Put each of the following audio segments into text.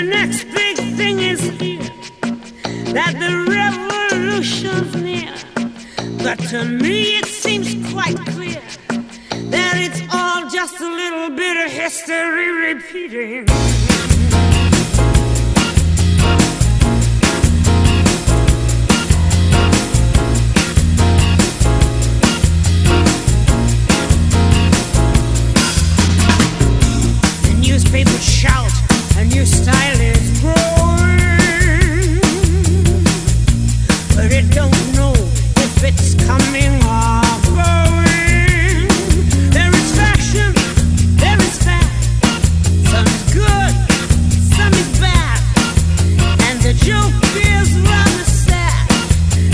the next big thing is here, that the revolution's near. But to me it seems quite clear that it's all just a little bit of history repeating. The newspapers shout, a new style is growing, but it don't know if it's coming or going. There is fashion, there is fact. Some is good, some is bad. And the joke is rather sad,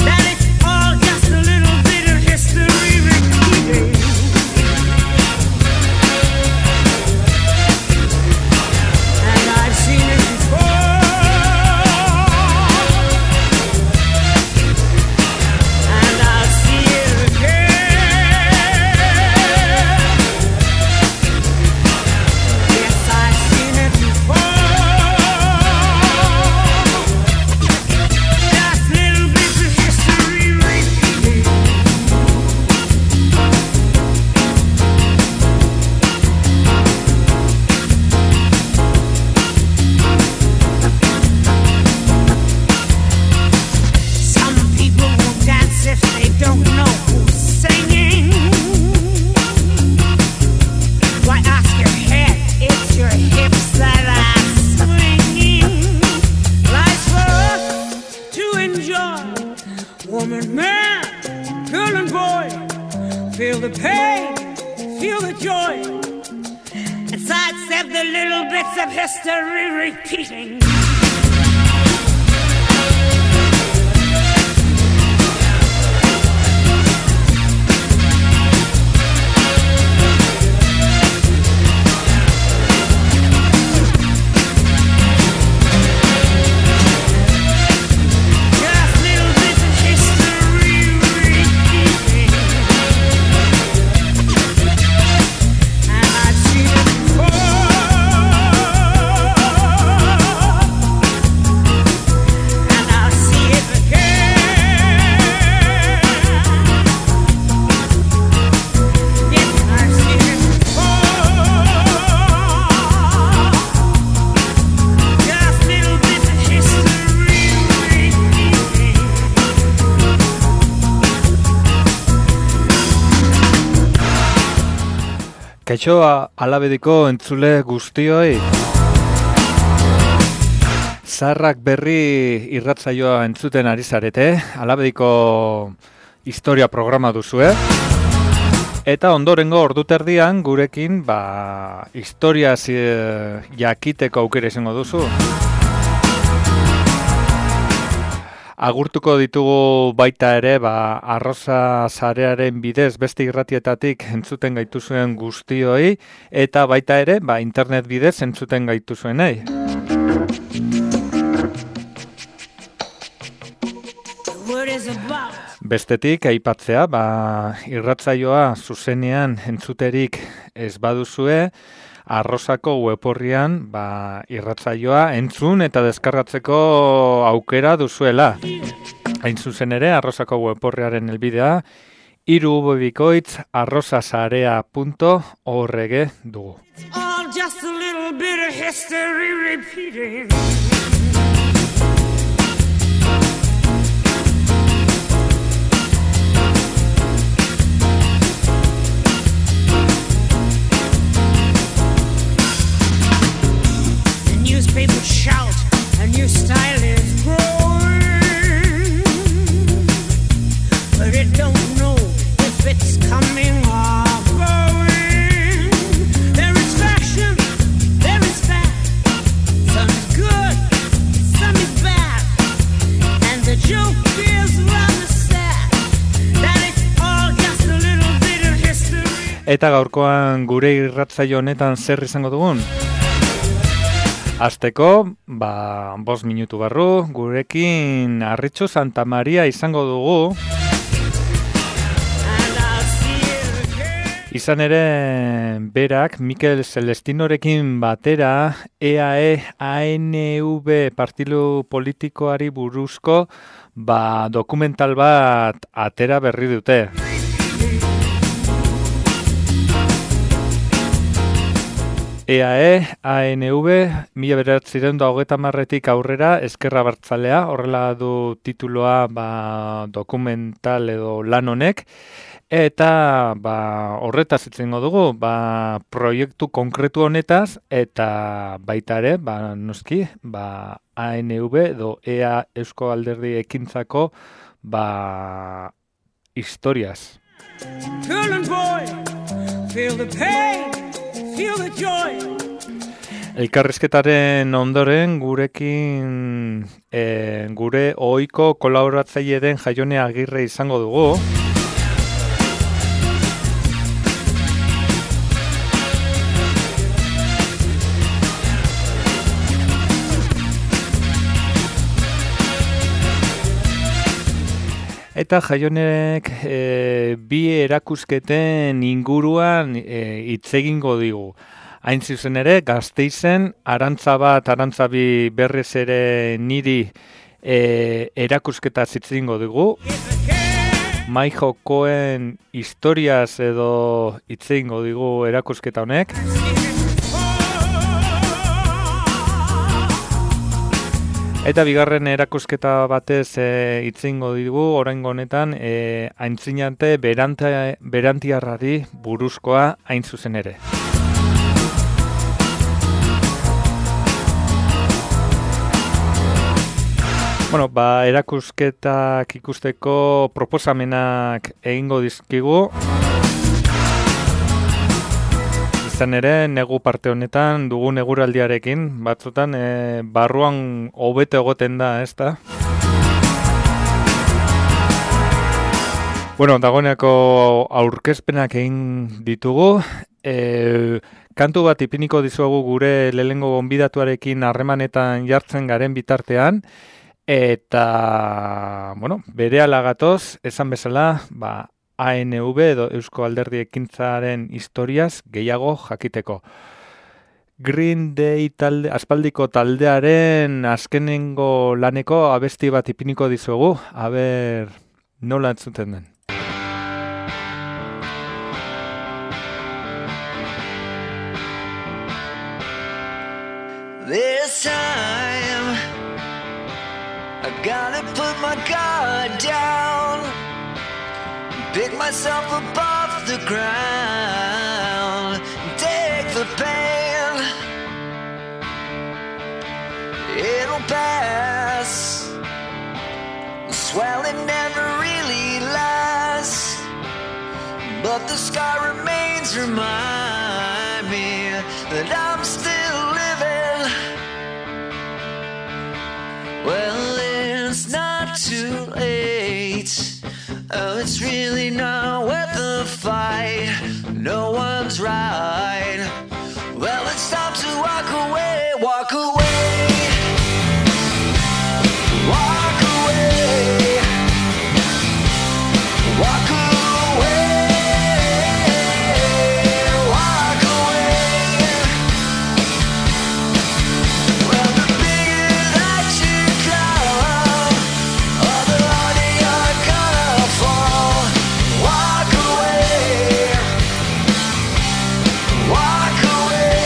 that it's all just a little bit of history repeating. And I've seen it before, and I'll see it again. Yes, I've seen it before. Just little bits of history repeating. Some people won't dance if they don't know who's singing. Why ask your head? It's your hips that are swinging. Life's for us to enjoy. Woman, man, girl and boy, feel the pain, feel the joy, and sidestep the little bits of history repeating. Just little bits of history repeating. And I've seen it before, and I'll see it again. Yes, I've seen it before. Just little bits of history repeating. Kaixo alabediko entzule guztioi. Zaharrak berri irratsaioa entzuten ari zarete, alabediko historia programa duzue. Eta ondorengo orduterdian gurekin historia jakiteko aukera izango duzu. Agurtuko ditugu baita ere, Arroza sarearen bidez beste irratietatik entzuten gaituzuen guztioi, eta baita ere, internet bidez entzuten gaituzuenei. What is about? Bestetik, aipatzea, irratsaioa zuzenean entzuterik ez baduzue, Arrozako web-orrian irratsaioa entzun eta deskargatzeko aukera duzuela. Hain zuzen ere, Arrozako web-orriaren helbidea irubebikoitz@arrozasarea.org dugu. It's all just a little bit of history repeating. The newspapers shout, a new style is growing, but it don't know if it's coming or going. There is fashion, there is fact. Some is good, some is bad. And the joke is rather sad, that it's all just a little bit of history. Eta gaurkoan gure irratsaio honetan zer izango dugun? Azteko, 5 minutu barru, gurekin Arritxu Santa Maria izango dugu. Izan ere, berak Mikel Celestinorekin batera EAE-ANV partidu politikoari buruzko dokumental bat atera berri dute. EAE-ANV 1930etik aurrera Ezker Abertzalea, horrela du tituloa dokumental edo lan honek. Eta horretaz itzengo dugu, proiektu konkretu honetaz, eta baita ere, noski, ANV edo EA Eusko Alderdi Ekintzako historiaz. Elkarrizketaren ondoren gurekin gure ohiko kolaboratzaile den Jaione Agirre izango dugu. Eta Jaionek bi erakusketen inguruan hitz egingo digu. Hain zuzen ere, Gasteizen, Arantzabi berrez ere niri erakusketa hitz egingo dugu. Mai jokoen historiaz edo hitz egingo digu erakusketa honek. Eta bigarren erakusketa batez hitz egingo digu oraingo honetan aintzinate berantiarrari buruzkoa hain zuzen ere. Bueno, erakusketak ikusteko proposamenak egingo dizkigu. Izan ere, negu parte honetan dugun eguraldiarekin, batzutan barruan hobete egoten da, ezta? Bueno, dagoeneko aurkezpenak egin ditugu. Kantu bat ipiniko dizuegu gure lehengo gonbidatuarekin harremanetan jartzen garen bitartean. Eta, bueno, berehala gatoz, esan bezala, ANV edo Eusko Alderdi Ekintzaren historiaz gehiago jakiteko. Green Day aspaldiko taldearen azkenengo laneko abesti bat ipiniko dizuegu, aber nola entzuten den. This time I gotta put my guard down, pick myself up off the ground, take the pain, it'll pass, the swelling never really lasts, but the scar remains, remind me that I'm still living. Well, it's not too late. Oh, it's really not worth the fight. No one's right. Well, it's time to walk away, walk away. Walk away. Walk away. Walk away. Well, the bigger that you come, oh, the harder you're gonna fall. Walk away. Walk away.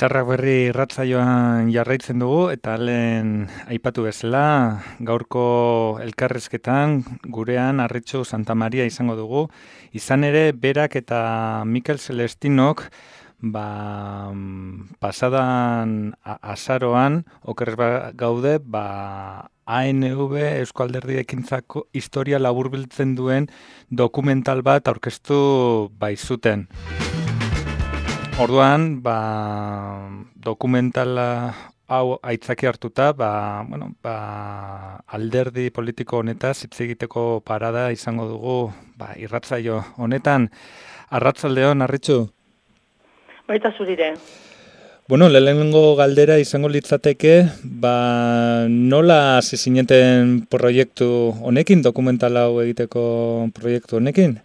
Izarrak berri irratsaioan jarraitzen dugu eta lehen aipatu bezala gaurko elkarrezketan gurean Arritxu Santamaria izango dugu. Izan ere berak eta Mikel Celestinok pasadan azaroan okerrez gaude ANV Eusko Alderdi Ekintzako historia laburbiltzen duen dokumental bat aurkeztu baizuten. Orduan, dokumentala hau aitzaki hartuta, alderdi politiko honetaz hitz egiteko parada izango dugu, irratsaio honetan. Arratsaldeon, Arritxu? Baita zurire. Bueno, lehenengo galdera izango litzateke, nola hasi zineten proiektu honekin, dokumental hau egiteko proiektu honekin?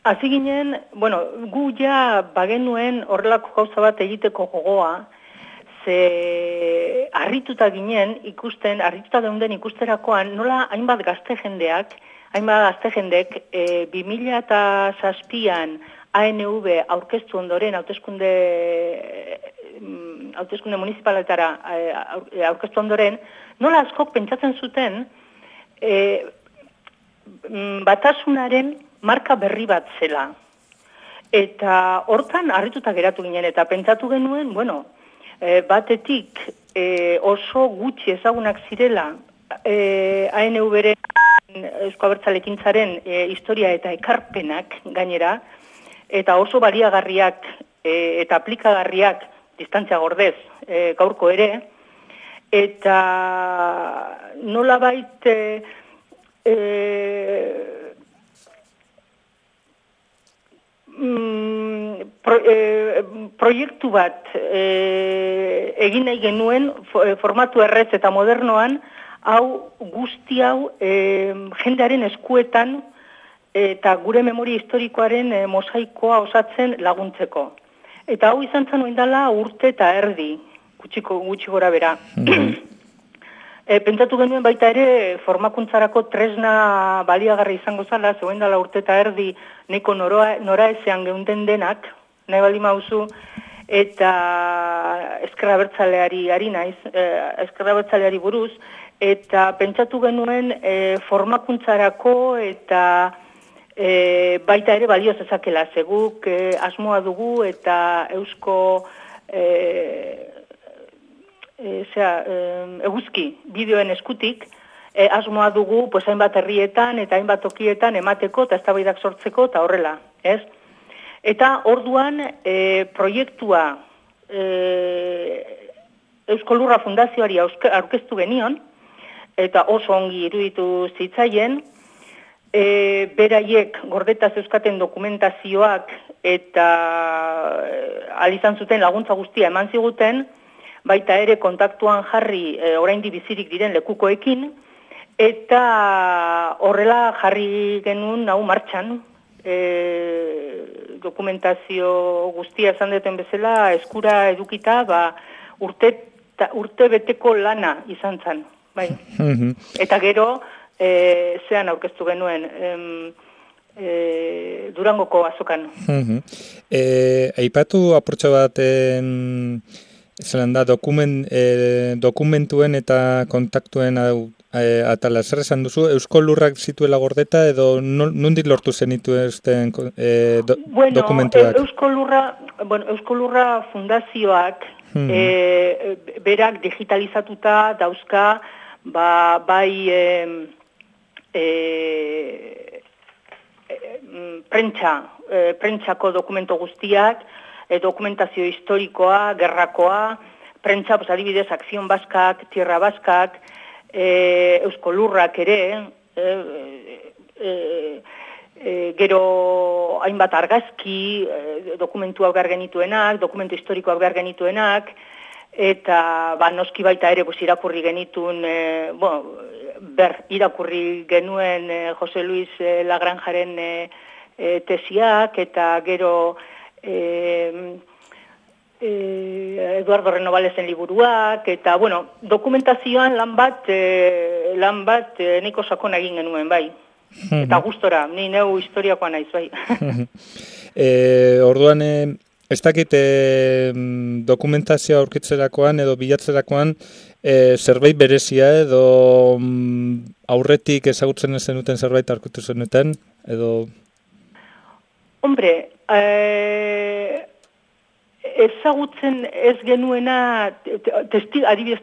Hasi ginen, gu ja bagenuen horrelako gauza bat egiteko gogoa, ze harrituta ginen ikusten, harrituta geunden ikusterakoan, nola hainbat gazte jendek 2007an ANV aurkeztu ondoren, hauteskunde municipaletara aurkeztu ondoren, nola askok pentsatzen zuten batasunaren marka berri bat zela. Eta hortan harrituta geratu ginen, eta pentsatu genuen, batetik oso gutxi ezagunak zirela ANV-ren Eusko Abertzalekintzaren historia eta ekarpenak gainera, eta oso baliagarriak eta aplikagarriak distantzia gordez gaurko ere, eta nolabait proiektu bat egin nahi genuen formatu errez eta modernoan, guzti hau jendearen eskuetan eta gure memoria historikoaren mosaikoa osatzen laguntzeko. Eta hau izan zen oindala urte eta erdi, gutxi gora bera. Pentsatu genuen baita ere formakuntzarako tresna baliagarri izango zala, zegoen dela urte eta erdi neko nora ezean geunden denak, nahi bali mauzu, eta Ezker Abertzaleari ari naiz, Ezker Abertzaleari buruz, eta pentsatu genuen formakuntzarako eta baita ere balio zezakela, zeguk asmoa dugu eta eusko eguzki bideoen eskutik asmoa dugu hainbat herrietan eta hainbat tokietan emateko eta eztabaidak sortzeko eta horrela, ez? Eta orduan proiektua Eusko Lurra Fundazioari aurkeztu genion, eta oso ongi iruditu zitzaien, beraiek gordetaz euskaten dokumentazioak eta alizan zuten laguntza guztia eman ziguten, baita ere kontaktuan jarri oraindi bizirik diren lekukoekin, eta horrela jarri genuen hau martxan, dokumentazio guztia esan duten bezala eskura edukita, urte beteko lana izan zen, bai. Eta gero, zean aurkeztu genuen Durangoko azokan. Aipatu apurtxo bat dokumentuen eta kontaktuen atala, zer esan duzu, Eusko Lurrak zituela gordeta edo nondik lortu zenituzten dokumentuak? Eusko Lurra Fundazioak berak digitalizatuta dauzka bai prentsako dokumento guztiak, dokumentazio historikoa, gerrakoa, prentsa, adibidez, Akzion Baskak, Tierra Baskak, Eusko Lurrak ere, gero hainbat argazki, dokumentuak behar genituenak, dokumentu historikoak behar genituenak, eta noski baita ere irakurri genituen, irakurri genuen Jose Luis Lagranjaren tesiak, eta gero Eduardo Renovalesen liburuak, eta, dokumentazioan lan bat nahiko sakona egin genuen, bai. Eta gustora, ni neu historiakoa naiz, bai. Orduan, Ez dakit dokumentazioa aurkitzerakoan edo bilatzerakoan zerbait berezia edo aurretik ezagutzen zenuten zerbait aurkitu zenuten edo... Hombre, ezagutzen ez genuena, adibidez,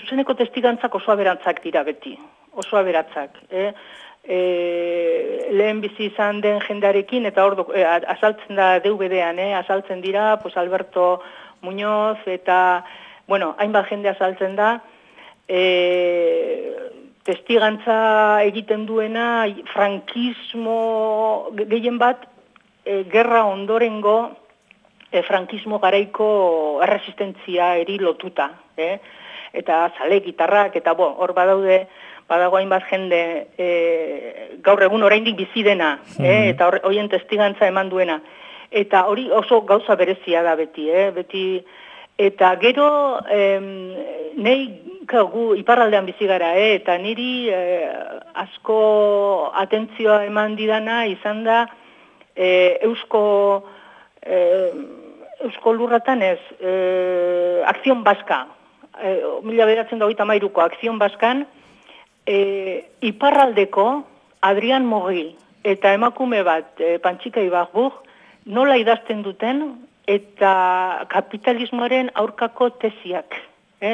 zuzeneko testigantzak oso aberantzak dira beti, oso aberatzak. Lehen bizi izan den jendarekin, eta hor azaltzen da DVD-an, azaltzen dira, pues Alberto Muñoz, eta, bueno, hainbat jende azaltzen da, testigantza egiten duena, frankismo gehien bat, gerra ondorengo, frankismo garaiko erresistentzia eri lotuta, eta zale gitarrak, eta hor badago hainbat jende gaur egun oraindik bizi dena, eta horien testigantza eman duena. Eta hori oso gauza berezia da beti, eta gero gu iparraldean bizi gara, eta niri asko atentzioa eman didana izan da Eusko lurratan ez, Akzion Baska, 1993ko Akzion Baskan, iparraldeko Adrian Mogi eta emakume bat, Pantxika Ibarbur, nola idazten duten eta kapitalismoaren aurkako tesiak,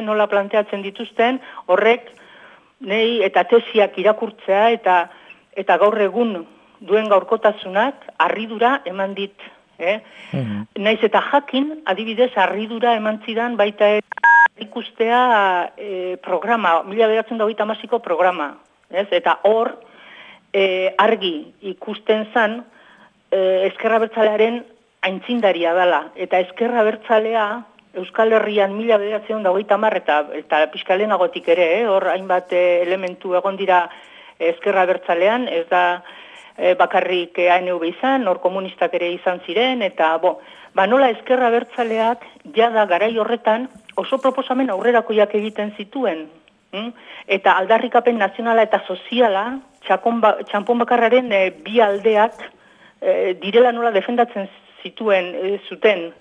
nola planteatzen dituzten, horrek nei eta tesiak irakurtzea eta gaur egun duen gaurkotasunak harridura eman dit. Naiz eta jakin, adibidez, harridura eman zidan baita ikustea programa, 1928ko programa. Eta hor argi ikusten zan Ezker Abertzalearen aintzindaria dela. Eta Ezker Abertzalea Euskal Herrian 1930 eta pixkalenagotik ere, hor hainbat elementu egon dira Ezker Abertzalean, ez da bakarrik ANV izan, hor komunistak ere izan ziren, eta nola Ezker Abertzaleak jada garai horretan oso proposamen aurrerakoiak egiten zituen. Eta aldarrikapen nazionala eta soziala, txanpon bakarraren bi aldeak direla nola defendatzen zuten.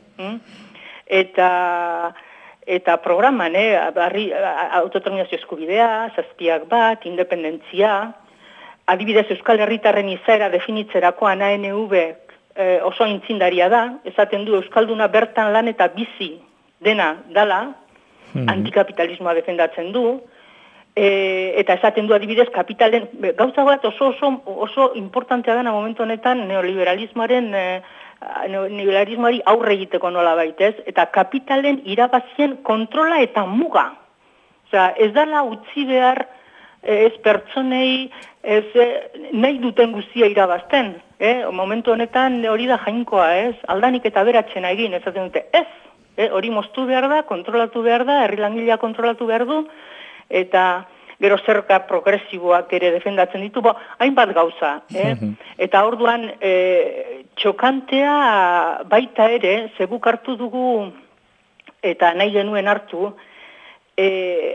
Eta programan, autodeterminazio eskubidea, zazpiak bat, independentzia, adibidez Euskal Herritarren izaera definitzerakoan ANV oso aintzindaria da, esaten du Euskalduna bertan lan eta bizi dena dala, antikapitalismoa defendatzen du, eta esaten du adibidez kapitalen, gauza bat oso importantea dena momentu honetan neoliberalismoari aurre egiteko nola baitez, eta kapitalen irabazien kontrola eta muga. Osea, ez dala utzi behar ez pertsonei nahi duten guztia irabazten. Momentu honetan hori da jainkoa, aldanik eta beratxena egin, esaten dute, hori moztu behar da, kontrolatu behar da, herri langilea kontrolatu behar du, eta gero zerga progresiboak ere defendatzen ditu, hainbat gauza. Eta orduan txokantea baita ere, zeguk hartu dugu, eta nahi genuen hartu,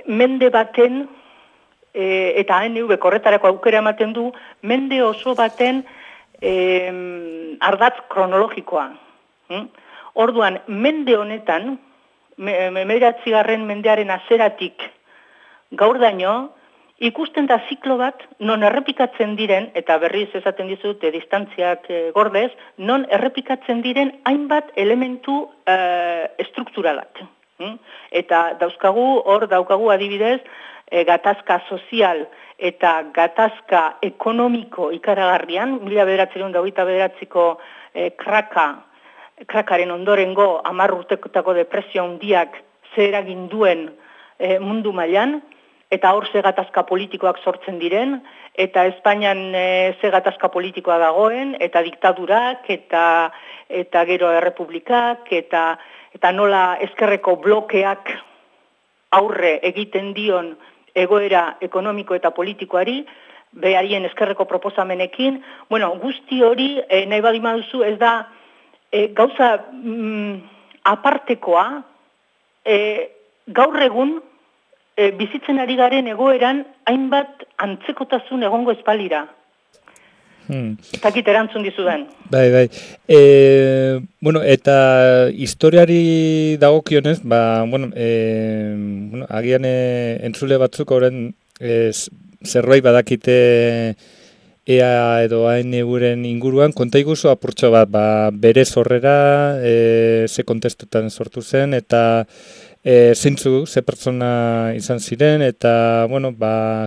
mende baten, eta ANV korretarako aukera ematen du, mende oso baten ardatz kronologikoa. Orduan, mende honetan, 19. mendearen azeratik gaur daño, ikusten da ziklo bat, non errepikatzen diren, eta berriz esaten dizute distantziak gordez, non errepikatzen diren hainbat elementu estrukturalak. Eta hor daukagu adibidez, gatazka sozial eta gatazka ekonomiko ikaragarrian, 1929ko krakaren ondorengo 10 urtekotako depresio handiak zer egin duen mundu mailan, eta hor ze gatazka politikoak sortzen diren, eta Espainian ze gatazka politikoa dagoen, eta diktadurak, eta gero errepublikak, eta nola ezkerreko blokeak aurre egiten dion egoera ekonomiko eta politikoari, beharien ezkerreko proposamenekin. Guzti hori, nahi badi maduzu, ez da gauza apartekoa, gaur egun bizitzen ari garen egoeran hainbat antzekotasun egongo espalira. Takit erantzun dizudan. Bai. Bueno, eta historiari dagokionez, agian entzule batzuk horren zerbait badakite EA edo ANV-ren inguruan, konta iguzu apurtxo bat, bere sorrera, ze kontestutan sortu zen, eta zeintzu, ze pertsona izan ziren, eta,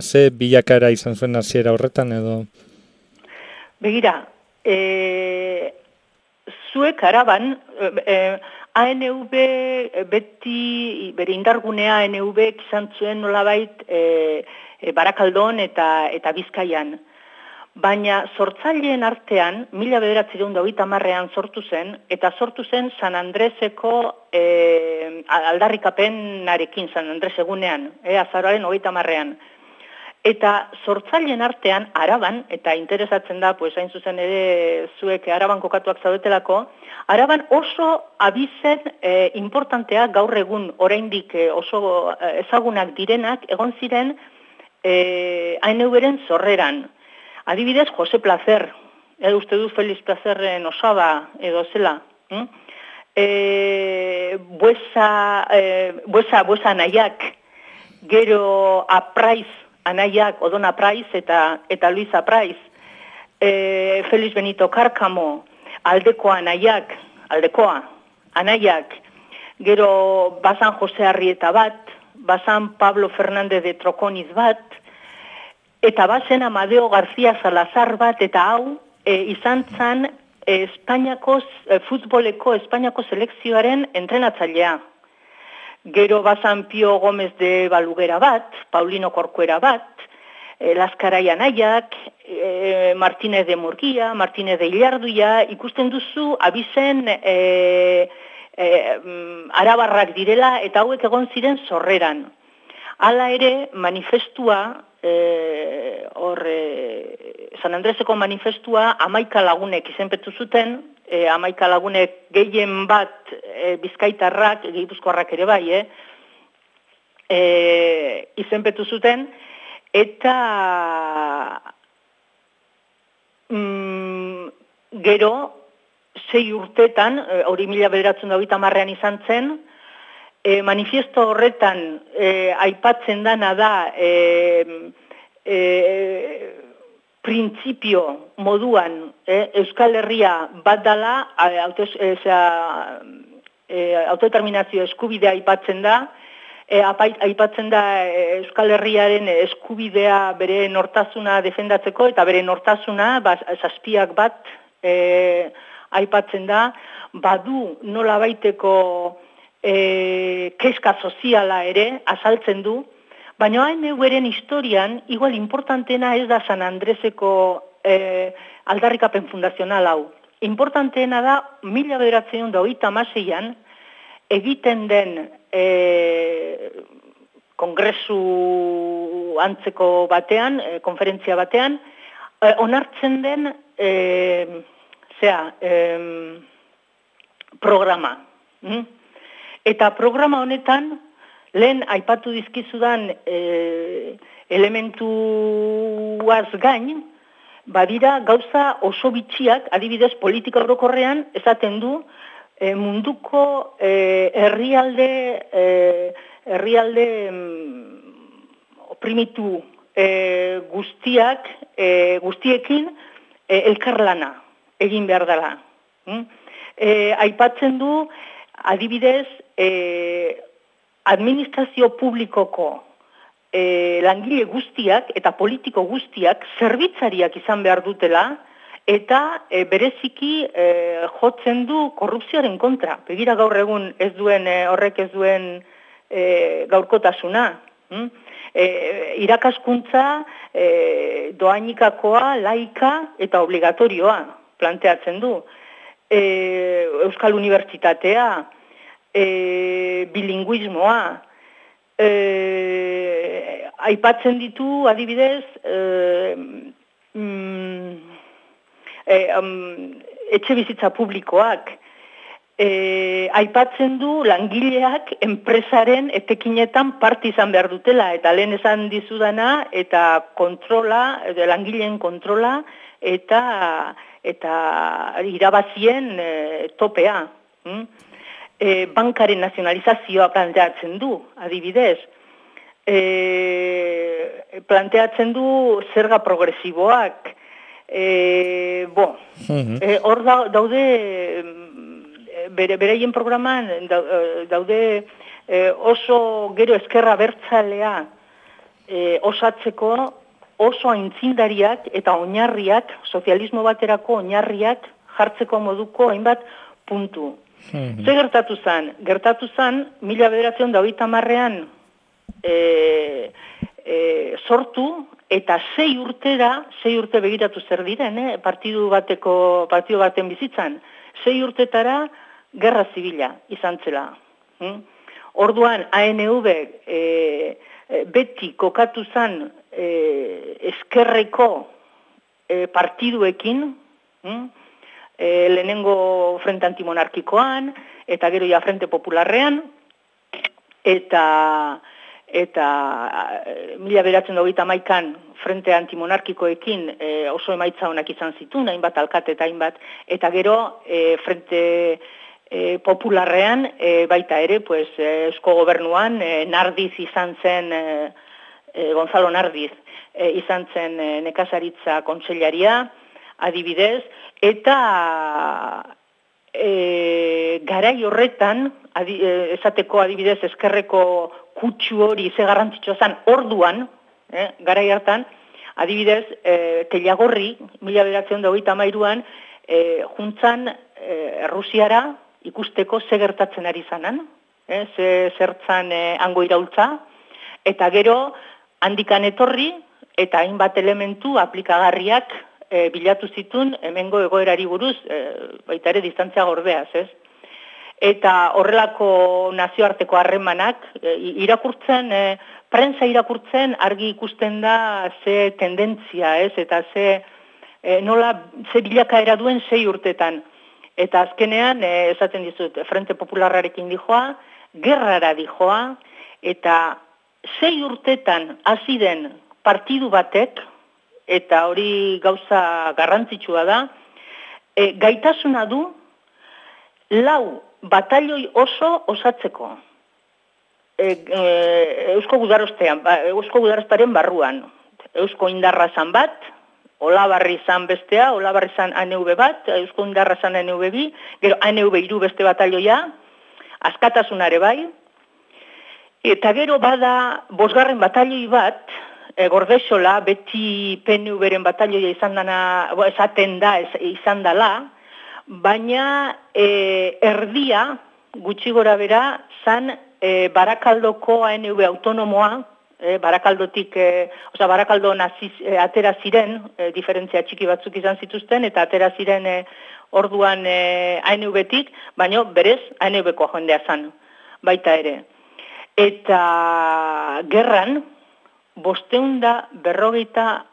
ze bilakara izan zuen hasiera horretan, edo... Begira, zuek araban, ANV beti, bere indargunea ANV izan zuen nolabait Barakaldon eta Bizkaian. Baina sortzaileen artean, 1930ean sortu zen, eta sortu zen San Andreseko aldarrikapenarekin, San Andres egunean, azaroaren 30ean. Eta sortzaileen artean, araban, eta interesatzen da, hain zuzen ere zuek araban kokatuak zaudetelako, araban oso abizen importantea gaur egun oraindik oso ezagunak direnak egon ziren ANV-ren sorreran. Adibidez, Jose Placer, uste du Feliz Plazerren osaba edo zela. Buesa anaiak, gero Apraiz anaiak, Odon Apraiz eta Luis Apraiz, Feliz Benito Cárcamo, Aldekoa anaiak, gero Bazan Jose Arrieta bat, Bazan Pablo Fernández de Troconiz bat, eta bazen Amadeo García Salazar bat, eta hau izan zan futboleko Espainiako selekzioaren entrenatzailea. Gero bazan Pio Gómez de Balugera bat, Paulino Corcuera bat, Laskarai anaiak, Martínez de Murguía, Martínez de Illarduia, ikusten duzu abizen arabarrak direla eta hauek egon ziren sorreran. Hala ere, manifestua, San Andreseko manifestua 11 lagunek izenpetu zuten, 11 lagunek gehien bat bizkaitarrak, gipuzkoarrak ere bai, izenpetu zuten, eta gero, 6 urtetan, hori 1930ean izan zen, manifiesto horretan aipatzen dana da printzipio moduan Euskal Herria bat dala, autodeterminazio eskubidea aipatzen da, aipatzen da Euskal Herriaren eskubidea bere nortasuna defendatzeko, eta bere nortasuna, zazpiak bat aipatzen da, badu nola baiteko kezka soziala ere azaltzen du, baina ANV-ren historian igual importantena ez da San Andreseko aldarrikapen fundazional hau. Importanteena da 1936an egiten den kongresu antzeko batean, konferentzia batean, onartzen den programa. Eta programa honetan, lehen aipatu dizkizudan elementuaz gain, badira gauza oso bitxiak, adibidez politika orokorrean, esaten du munduko herrialde oprimitu guztiekin elkarlana egin behar dela. Aipatzen du, adibidez, administrazio publikoko langile guztiak eta politiko guztiak zerbitzariak izan behar dutela eta bereziki jotzen du korrupzioaren kontra. Begira gaur egun horrek ez duen gaurkotasuna. Irakaskuntza doainikakoa, laika eta obligatorioa planteatzen du. Euskal Unibertsitatea, bilinguismoa, aipatzen ditu adibidez etxe bizitza publikoak, aipatzen du langileak enpresaren etekinetan parte izan behar dutela, eta lehen esan dizudana, eta kontrola, langileen kontrola, eta irabazien topea. Bankaren nazionalizazioa planteatzen du, adibidez. Planteatzen du zerga progresiboak. Hor daude... Beraien programan daude oso gero ezkerra bertzalea osatzeko oso aintzindariak eta oinarriak, sozialismo baterako oinarriak jartzeko moduko hainbat puntu. Ze gertatu zen? Gertatu zen, 1930ean sortu eta 6 urte begiratu zer diren, partidu baten bizitzan, 6 urtetara gerra zibila izan zela. Orduan, ANV beti kokatu zen eskerreko partiduekin, lehenengo Frente Antimonarkikoan, eta gero ja Frente Popularrean, eta 1931an Frente Antimonarkikoekin oso emaitza honak izan zituen, hainbat alkate eta hainbat, eta gero Frente Popularrean baita ere, pues, Eusko Gobernuan Nardiz izan zen, Gonzalo Nardiz izan zen nekazaritza kontseilaria, adibidez, eta garai horretan, esateko adibidez eskerreko kutsu hori ze garrantzitsua zen orduan, garai hartan, adibidez, Tellagorri, 1933an, juntzan Errusiara ikusteko ze gertatzen ari zanan, ze zertzan hango iraultza, eta gero handikan etorri, eta hainbat elementu aplikagarriak bilatu zituen hemengo egoerari buruz, baita ere distantzia gorbeaz, ez? Eta horrelako nazioarteko harremanak irakurtzen, prensa irakurtzen argi ikusten da ze tendentzia, ez? Eta ze bilakaera duen 6 urtetan. Eta azkenean, esaten dizut, Frente Popularrarekin dijoa, gerrara dijoa, eta 6 urtetan hasi den partidu batek, eta hori gauza garrantzitsua da, gaitasuna du 4 batalioi oso osatzeko. Eusko Gudarostaren barruan. Eusko Indarra zan bat, Olabarri zan bestea, Olabarri zan ANV bat, Eusko Indarra zan ANV bi, gero ANV 3 beste batalioia, Askatasunare bai, eta gero bada 5. batalioi bat, Gordexola, beti PNV-ren batalioia esaten da, izan dala, baina erdia, gutxi gora bera, zan Barakaldoko ANV autonomoa, Barakaldotik, Barakaldon atera ziren, diferentzia txiki batzuk izan zituzten, eta atera ziren orduan ANV-tik, baina berez ANV-koa jendea zan, baita ere. Eta gerran, 550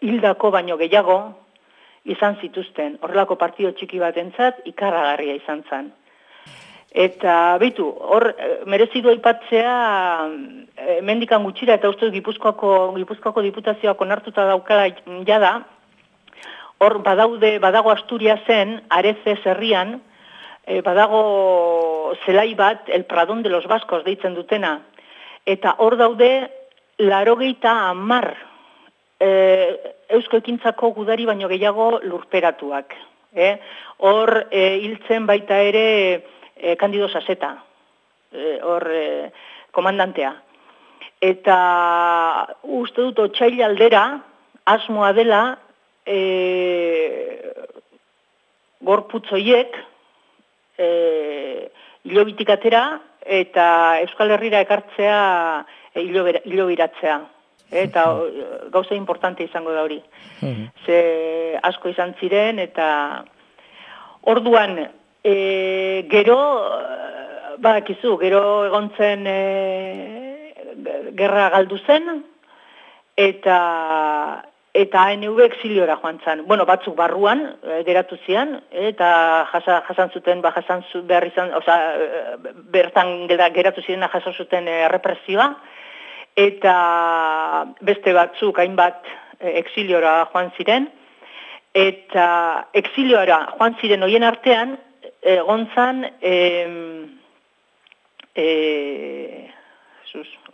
hildako baino gehiago izan zituzten. Horrelako partido txiki batentzat ikarragarria izan zen. Eta beitu, hor merezidu aipatzea mendikan gutxira eta ustez Gipuzkoako diputazioak onartuta daukala jada, hor badago Asturiasen, Arezes herrian, badago zelai bat, el Pradón de los Vascos deitzen dutena. Eta hor daude 90 eusko ekintzako gudari baino gehiago lurperatuak. Hor hiltzen baita ere Candido Saseta, hor komandantea. Eta uste dut otsaila aldera asmoa dela gorputzoiek hilobitik atera eta Euskal Herrira ekartzea hilobiratzea. Eta gauza importante izango da hori. Ze asko izan ziren eta orduan gero, badakizu, gero egon zen gerra galdu zen eta eta ANV exiliora joan zan. Bueno, batzuk barruan geratu zian, eta jasan zuten, behar izan, bertan geratu ziren jaso zuten represioa, eta beste batzuk hainbat exiliora joan ziren, eta exiliora joan ziren hoien artean, egon zan,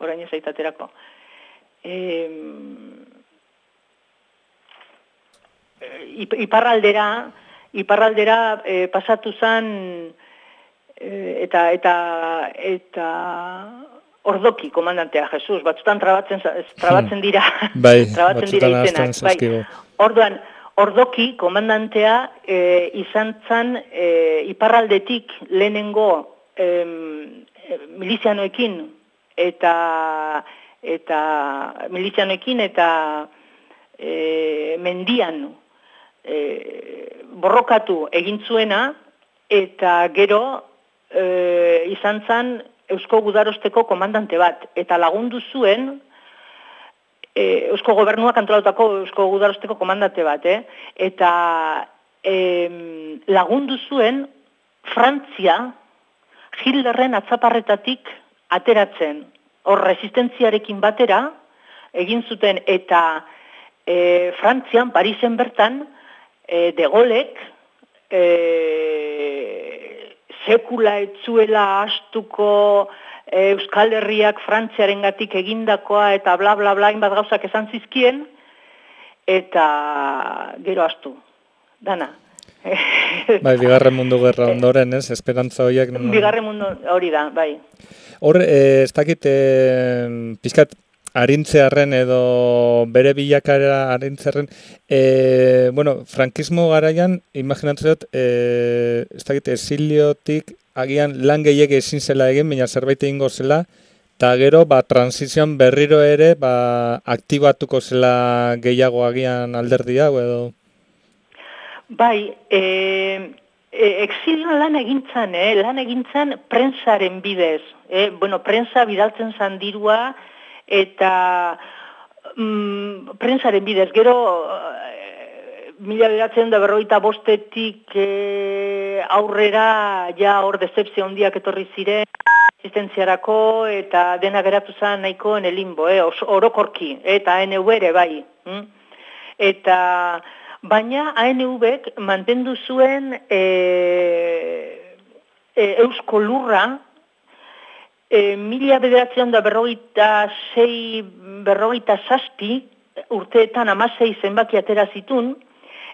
orain ez aitaterako, iparraldera pasatu zen eta ordoki komandantea Jesus, batzutan trabatzen dira, trabatzen dira izenak. Bai. Orduan, ordoki komandantea izan zen iparraldetik lehenengo milizianoekin eta mendian borrokatu egin zuena, eta gero izan zen Eusko Gudarosteko komandante bat, eta lagundu zuen Eusko Gobernuak antolatutako Eusko Gudarosteko komandante bat, eta lagundu zuen Frantzia Hitlerren atzaparretatik ateratzen. Hor resistentziarekin batera egin zuten, eta Frantzian, Parisen bertan, de Gaulek sekula etzuela astuko Euskal Herriak Frantziarengatik egindakoa eta bla bla bla hainbat gauzak esan zizkien, eta gero astu, dana. Bai, Bigarren Mundu Gerra ondoren, ez? Esperantza horiek... Bigarren Mundu hori da, bai. Hor, ez dakit, pizkat, arintzearen edo bere bilakara arintzearen, frankismo garaian, imaginatzen dut, ez dakit, esiliotik agian lan gehiago ezin zela egin, baina zerbait egingo zela, eta gero, transizioan berriro ere, aktibatuko zela gehiago agian alderdia, edo... Bai, exilioan lan egintzan prensaren bidez. Prensa bidaltzen zan dirua, eta prensaren bidez. Gero, 1945 aurrera, ja hor dezepzio handiak etorri ziren, asistentziarako, eta dena geratu zen nahiko en el limbo, orokorki, eta ANV ere bai. Eta... Baina ANV-ek mantendu zuen Eusko Lurra 1946-47 urteetan 16 zenbaki atera zitun,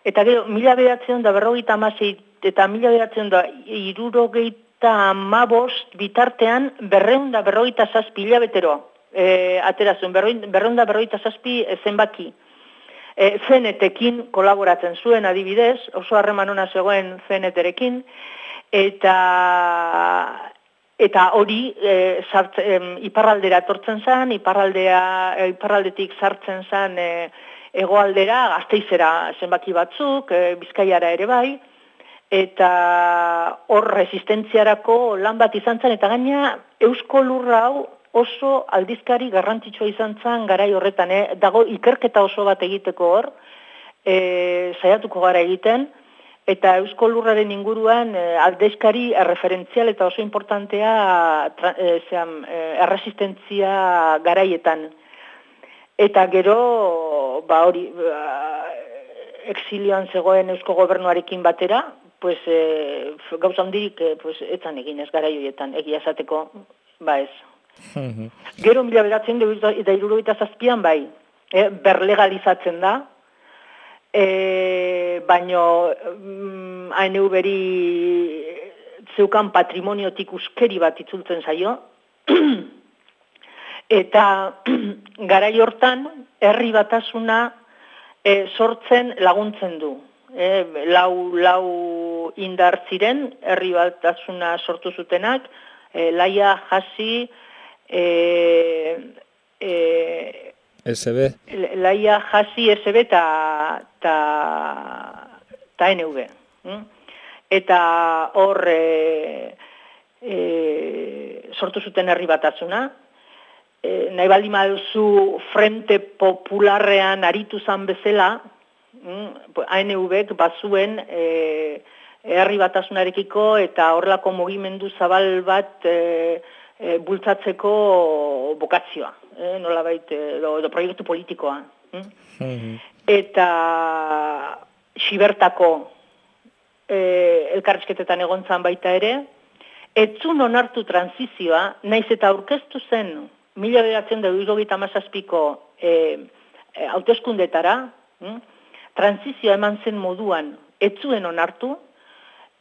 eta gero 1946 eta 1977 bitartean 247 hilabetero atera zuen, 247 zenbaki. CNT-ekin kolaboratzen zuen adibidez, oso harreman ona zegoen CNT-erekin, eta hori iparraldera etortzen zen, iparraldetik sartzen zen hegoaldera, Gasteizera zenbaki batzuk, Bizkaiara ere bai, eta hor resistentziarako lan bat izan zen, eta gaina Eusko Lurra hau oso aldizkari garrantzitsua izan zen garai horretan, dago ikerketa oso bat egiteko hor, saiatuko gara egiten, eta Eusko Lurraren inguruan aldizkari referentzial eta oso importantea erresistentzia garaietan. Eta gero, exilioan zegoen Eusko Gobernuarekin batera, gauza handirik etzan egin ez garai horietan, egia esateko, ez. Gero 1977an bai, berlegalizatzen da, baino ANV-eri zeukan patrimoniotik uskeri bat itzultzen zaio, eta garai hortan herri batasuna sortzen laguntzen du. Lau indar ziren, herri batasuna sortu zutenak, Laia, Hasi, SB. Laia, Hasi, SB eta NV. Eta hor sortu zuten herri batasuna, nahi baldin baduzu Frente Popularrean aritu zan bezala, ANV-ek bazuen herri batasunarekiko eta horrelako mugimendu zabal bat bultzatzeko bokazioa, nolabait, edo proiektu politikoa. Eta Xibertako elkarrizketetan egontzan baita ere, etzun onartu transizioa, naiz eta aurkeztu zen 1977ko hauteskundetara, transizioa eman zen moduan etzuen onartu,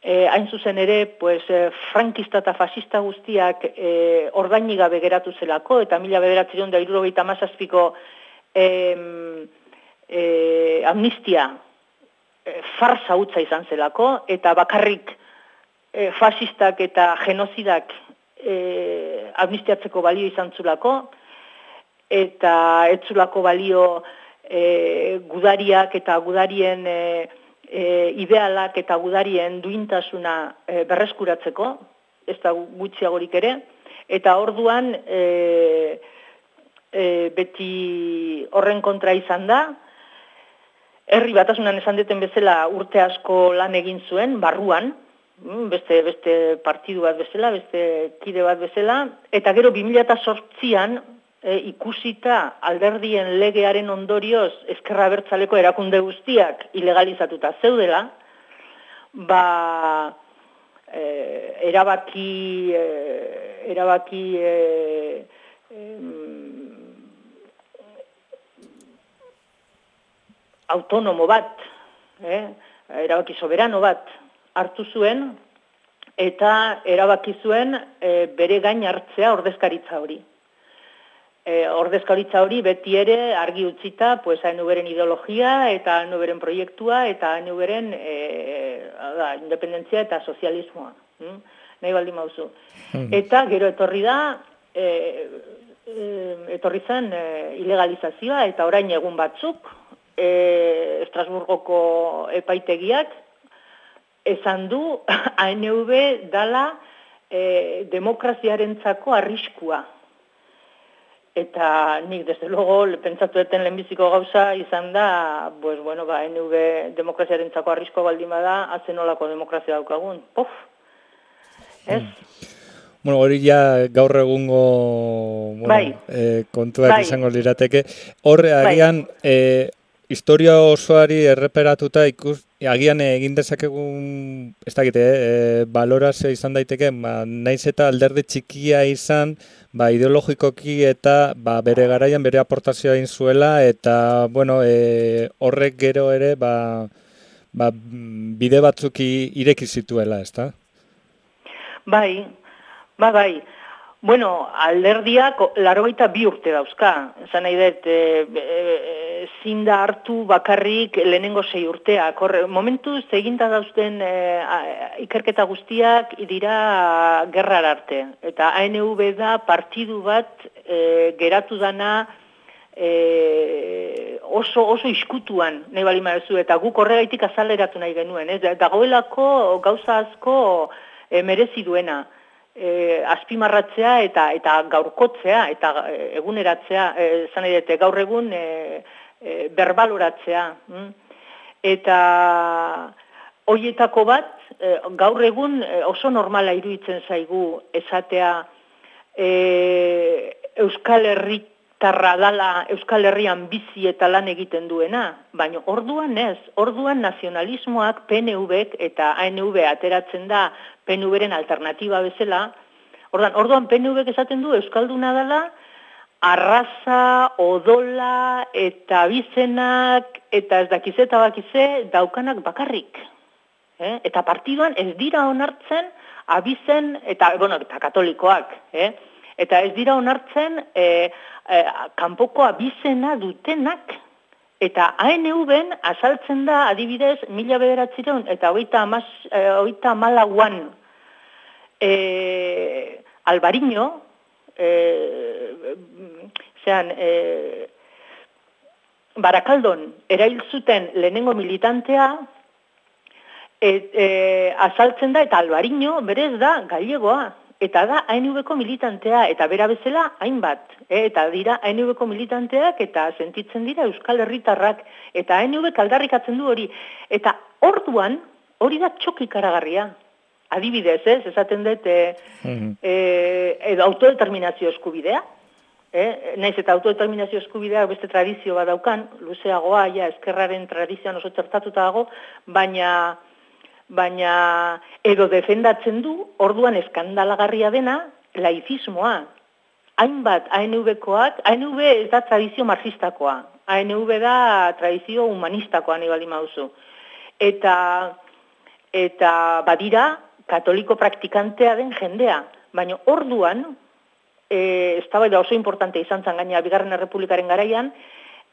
hain zuzen ere, frankista eta fascista guztiak ordaini gabe geratu zelako, eta 1977ko amnistia farsa hutsa izan zelako, eta bakarrik fascistak eta genozidak amnistiatzeko balio izan zulako, eta ez zulako balio gudariak eta gudarien idealak eta gudarien duintasuna berreskuratzeko, ez da gutxiagorik ere, eta orduan beti horren kontra izan da, herri batasunan esan deten bezala urte asko lan egin zuen, barruan, beste partidu bat bezala, beste kide bat bezala, eta gero 2008an ikusita alderdien legearen ondorioz ezkerra abertzaleko erakunde guztiak ilegalizatuta zeudela, erabaki autonomo bat, erabaki soberano bat hartu zuen, eta erabaki zuen bere gain hartzea ordezkaritza hori. Ordezkaritza hori beti ere argi utzita, ANV-ren ideologia eta ANV-ren proiektua eta ANV-ren independentzia eta sozialismoa. Nahi baldin mauzu. Eta gero etorri zen ilegalizazioa, eta orain egun batzuk, Estrasburgoko epaitegiak esan du ANV dala demokraziarentzako arriskua. Eta nik, desde luego, pentsatu eten lehenbiziko gauza izan da, ANV demokraziarentzako arriskoa baldin bada, azenolako demokrazia daukagun. Pof! Ez? Bueno, hori ja gaur egungo kontuak izango lirateke. Horre, agian, historia osoari erreperatuta agian egin dezakegun, ez dakite, balorazio izan daiteke, naiz eta alderdi txikia izan, ideologikoki eta bere garaian bere aportazioa egin zuela, eta, horrek gero ere, bide batzuk ireki zituela, ez da? Bai. Bueno, alderdiak 82 urte dauzka. Esan nahi dut, zinda hartu bakarrik lehenengo 6 urteak. Momentuz eginda dauzten ikerketa guztiak dira gerrar arte. Eta ANV da partidu bat geratu dana oso iskutuan nahi bali marezu. Eta guk horregaitik azaleratu nahi genuen. Dagoelako gauza asko merezi duena. Azpimarratzea eta gaurkotzea eta eguneratzea, esan nahi dute, gaur egun berbaloratzea. Eta horietako bat, gaur egun oso normala iruditzen zaigu esatea Euskal Herritarra dala Euskal Herrian bizi eta lan egiten duena, baina orduan ez, orduan nazionalismoak PNV-ek eta ANV ateratzen da PNV-ren alternatiba bezala, orduan PNV-ek esaten du Euskalduna dela, arraza, odola eta abizenak eta ez dakize eta bakize daukanak bakarrik. Eta partiduan ez dira onartzen abizen eta katolikoak. Eta ez dira onartzen kanpoko abizena dutenak. Eta ANV-en azaltzen da, adibidez, 1900 eta 1934an Alvariño, Barakaldon erail zuten lehenengo militantea, azaltzen da, eta Alvariño berez da gallegoa. eta da ANV-ko militantea, eta bera bezala hainbat, eta dira ANV-ko militanteak, eta sentitzen dira Euskal Herritarrak, eta ANV aldarrikatzen du hori. Eta orduan, hori da txok ikaragarria. Adibidez, esaten dut, edo autodeterminazio eskubidea, naiz eta autodeterminazio eskubidea beste tradizio bat daukan, luzeagoa, ja, eskerraren tradizioan oso txertatuta dago, baina edo defendatzen du, orduan eskandalagarria dena, laizismoa. Hainbat ANV-koak, ANV ez da tradizio marxistakoa, ANV da tradizio humanistakoa nahi baldin baduzu. Eta badira katoliko praktikantea den jendea, baina orduan, eztabaida oso importante izan zen gaina Bigarren Errepublikaren garaian,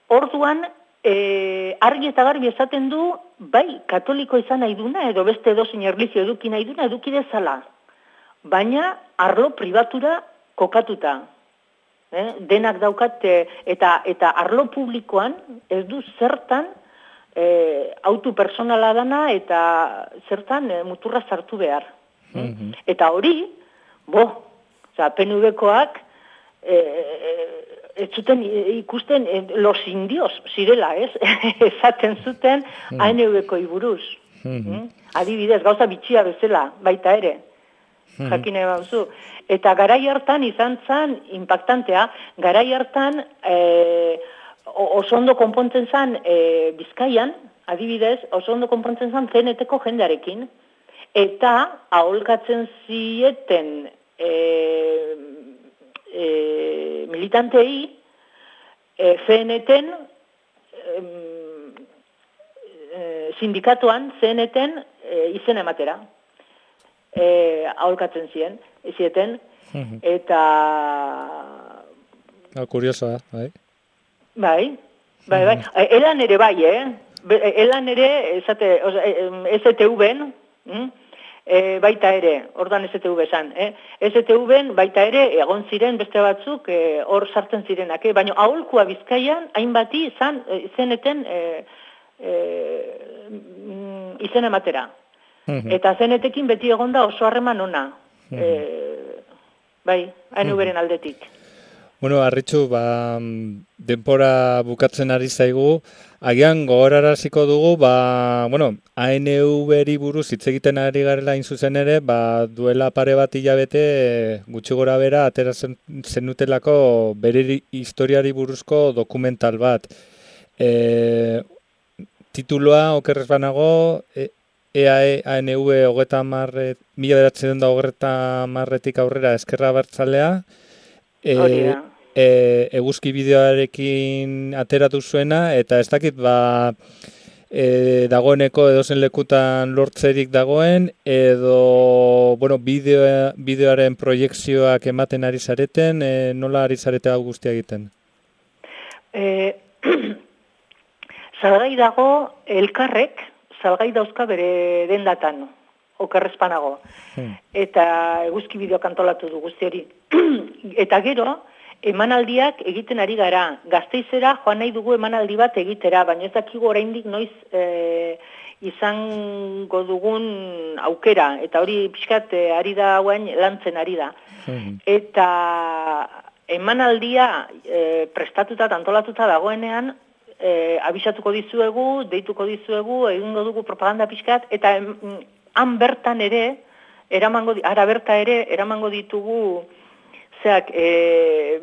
orduan argi eta garbi esaten du, bai, katoliko izan nahi duna, edo beste edozein erlijio eduki nahi duna, eduki dezala. Baina arlo pribatura kokatuta. Denak daukat, eta arlo publikoan ez du zertan autu personala dana eta zertan muturra sartu behar. Eta hori, PNV-koak ez zuten ikusten los indios zirela, ez? Esaten zuten ANV-koi buruz. Adibidez, gauza bitxia bezala, baita ere. Jakine bauzu. Eta garai hartan izan zen impactantea, garai hartan oso ondo konpontzen zen Bizkaian, adibidez, oso ondo konpontzen zen CNT-ko jendearekin, eta aholkatzen zieten militantei CNT-en sindikatuan CNT-en izen ematera aholkatzen zieten eta kuriosoa, bai. Bai. Elan ere bai, elan ere STV-en baita ere, orduan STV esan, STV-en baita ere egon ziren beste batzuk hor sartzen zirenak, baina aholkua Bizkaian hainbati zeneten izen ematera. Eta zenetekin beti egonda oso harreman ona. Bai, ANV-ren aldetik. Bueno, Arritxu, denpora bukatzen ari zaigu, agian gogoraraziko dugu, ANV-ri buruz hitz egiten ari garela hain zuzen ere, duela pare bat hilabete gutxi gora bera atera zenutelako bere historiari buruzko dokumental bat. Tituloa, okerrez banago, EAE ANV 1930 aurrera Ezkerra Abertzalea, eguzki bideoarekin ateratu zuena, eta ez dakit dagoeneko edozen lekutan lortzerik dagoen, edo bideoaren proiekzioak ematen ari zareten, nola ari zarete hau guztia egiten? Salgai dago elkarrek, salgai dauzka bere dendatan, okerrezpanago. Eta eguzki bideoak antolatu du guzti hori. Eta gero, emanaldiak egiten ari gara. Gasteizera joan nahi dugu emanaldi bat egitera, baina ez dakigu oraindik noiz izango dugun aukera. Eta hori pixkat ari da hauen lantzen ari da. Eta emanaldia prestatuta, antolatuta dagoenean, abisatuko dizuegu, deituko dizuegu, egingo dugu propaganda pixkat, eta han bertan ere, eramango ditugu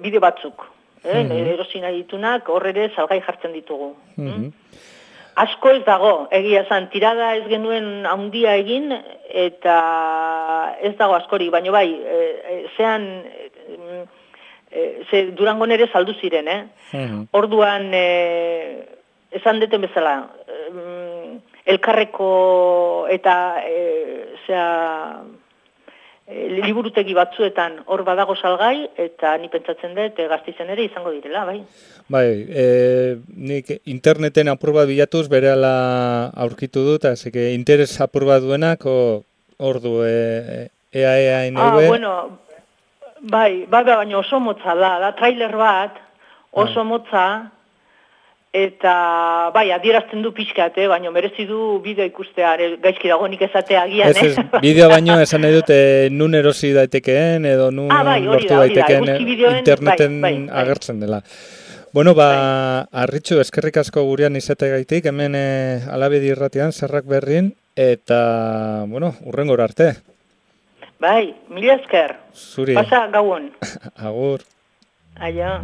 bideo batzuk. Erosina ditunak, hor ere salgai jartzen ditugu. Asko ez dago, egia esan, tirada ez genuen handia egin, eta ez dago askori, baina bai, Durangon ere saldu ziren, Orduan, esan deten bezala, elkarreko eta liburutegi batzuetan hor badago salgai, eta ni pentsatzen dut Gasteizen ere izango direla, bai. Bai, nik interneten apur bat bilatuz berehala aurkitu dut, eta interes apur bat duenak, hor du EAE ANV. Bueno, bai, baina oso motza da trailer bat, oso motza, Eta, bai, adierazten du pixkat, baina merezi du bideo ikustea, gaizki dagoenik esatea agian, Ez, bideo baino esan nahi dut nun erosi daitekeen edo nun lortu daitekeen interneten agertzen dela. Bueno, Arritxu, eskerrik asko gurean izategaitik, hemen Alabedi irratian, Zerrak Berrin, eta, bueno, hurrengora arte. Bai, mila esker. Zuri. Pasa gauon. Agur. Aia.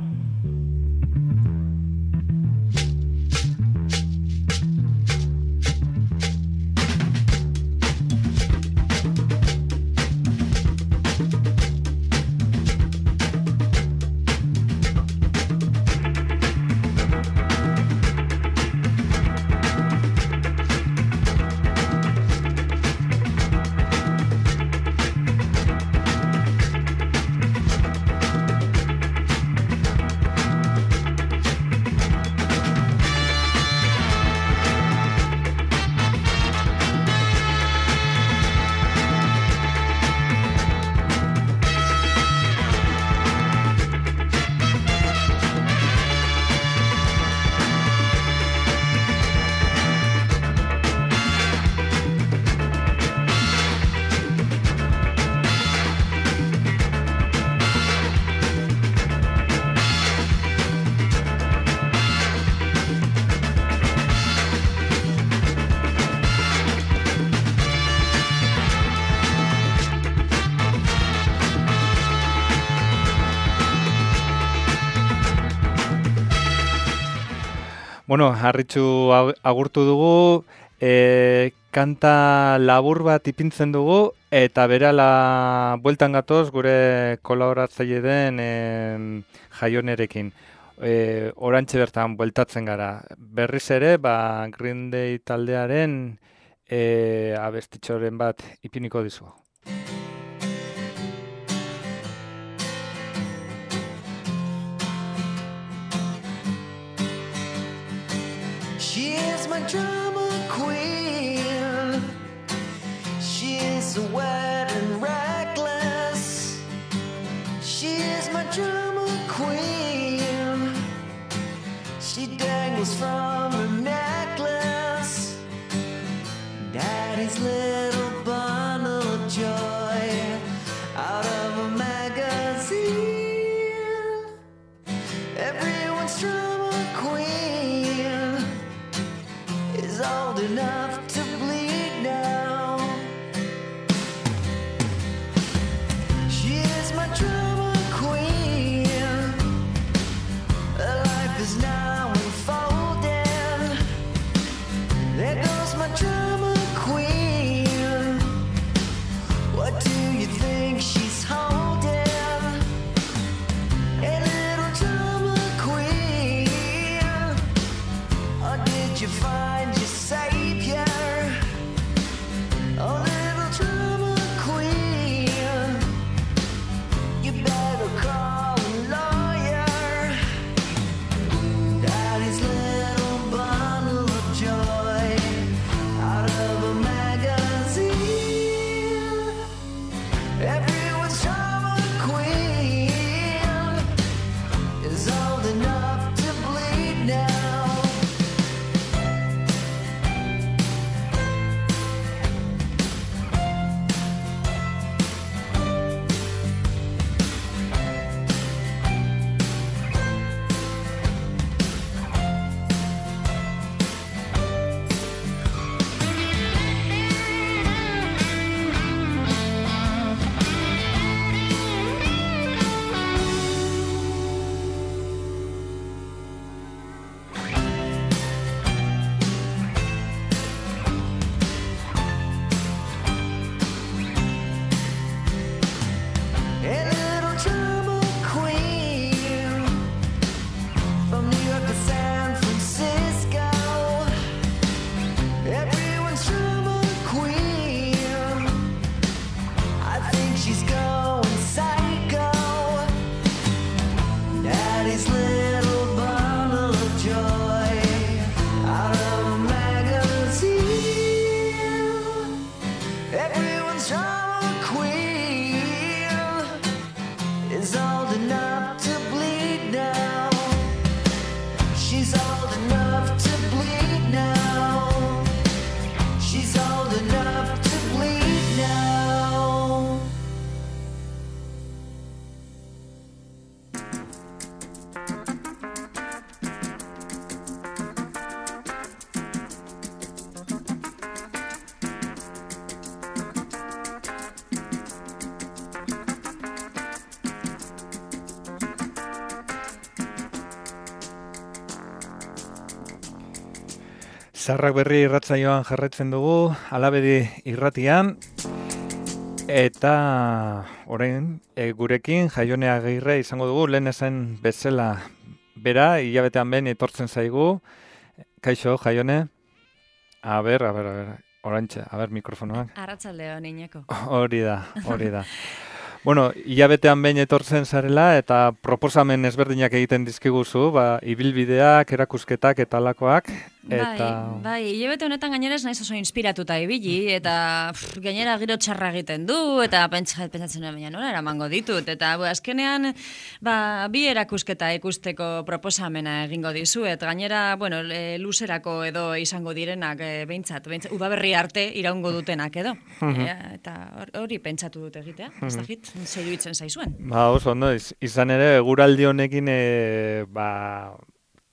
Bueno, Arritxu agurtu dugu, kanta labur bat ipintzen dugu, eta berala bueltan gatoz gure kolaboratzaile den Jaionerekin. Orantxe bertan bueltatzen gara. Berriz ere, Green Day taldearen abestitxoren bat ipiniko dizu. She is my drama queen. She is so wet and reckless. She is my drama queen. She dangles from her necklace. Daddy's little bundle of joy out of a magazine. Everyone's drama queen is old enough to bleed now. She is my drama queen. Her life is now unfolding. There goes my drama queen. What do you think she's holding? A little drama queen. Or did you find your savior? Oh, little drama queen, you better call a lawyer. Daddy's little bundle of joy out of a magazine. Everyone's drama queen is old enough to bleed now. A little drama queen from New York to San Francisco. Everyone's drama queen. I think she's going psycho. Daddy's little bundle of joy out of a magazine. Everyone's drama queen is old enough to bleed now. She's old enough. Zaharrak berri irratsaioan jarraitzen dugu, Alabedi irratian, eta orain gurekin Jaione Agirre izango dugu, lehen esan bezala bera, hilabetean behin etortzen zaigu. Kaixo, Jaione? A ber, orantxe, mikrofonoak. Arratsaldeon, Iñako. Hori da. Bueno, hilabetean behin etortzen zarela eta proposamen ezberdinak egiten dizkiguzu, ibilbideak, erakusketak eta alakoak. Bai, hilabete honetan gainera ez naiz oso inspiratuta ibili, eta gainera giro txarra egiten du, eta pentsatzen nuen baina nola eramango ditut, eta azkenean bi erakusketa ikusteko proposamena egingo dizuet, gainera, luzerako edo izango direnak behintzat, udaberri arte iraungo dutenak edo, eta hori pentsatu dut egitea, ez dakit, zer iruditzen zaizuen. Oso ondo, izan ere, eguraldi honekin,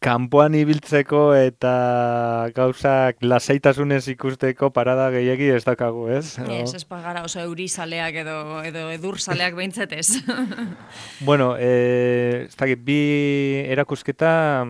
kanpoan ibiltzeko eta gauzak lasaitasunez ikusteko parada gehiegi ez dakagu, ez? Ez gara oso eurizaleak edo edurzaleak behintzat ez. Bueno, ez dakit, bi erakusketa,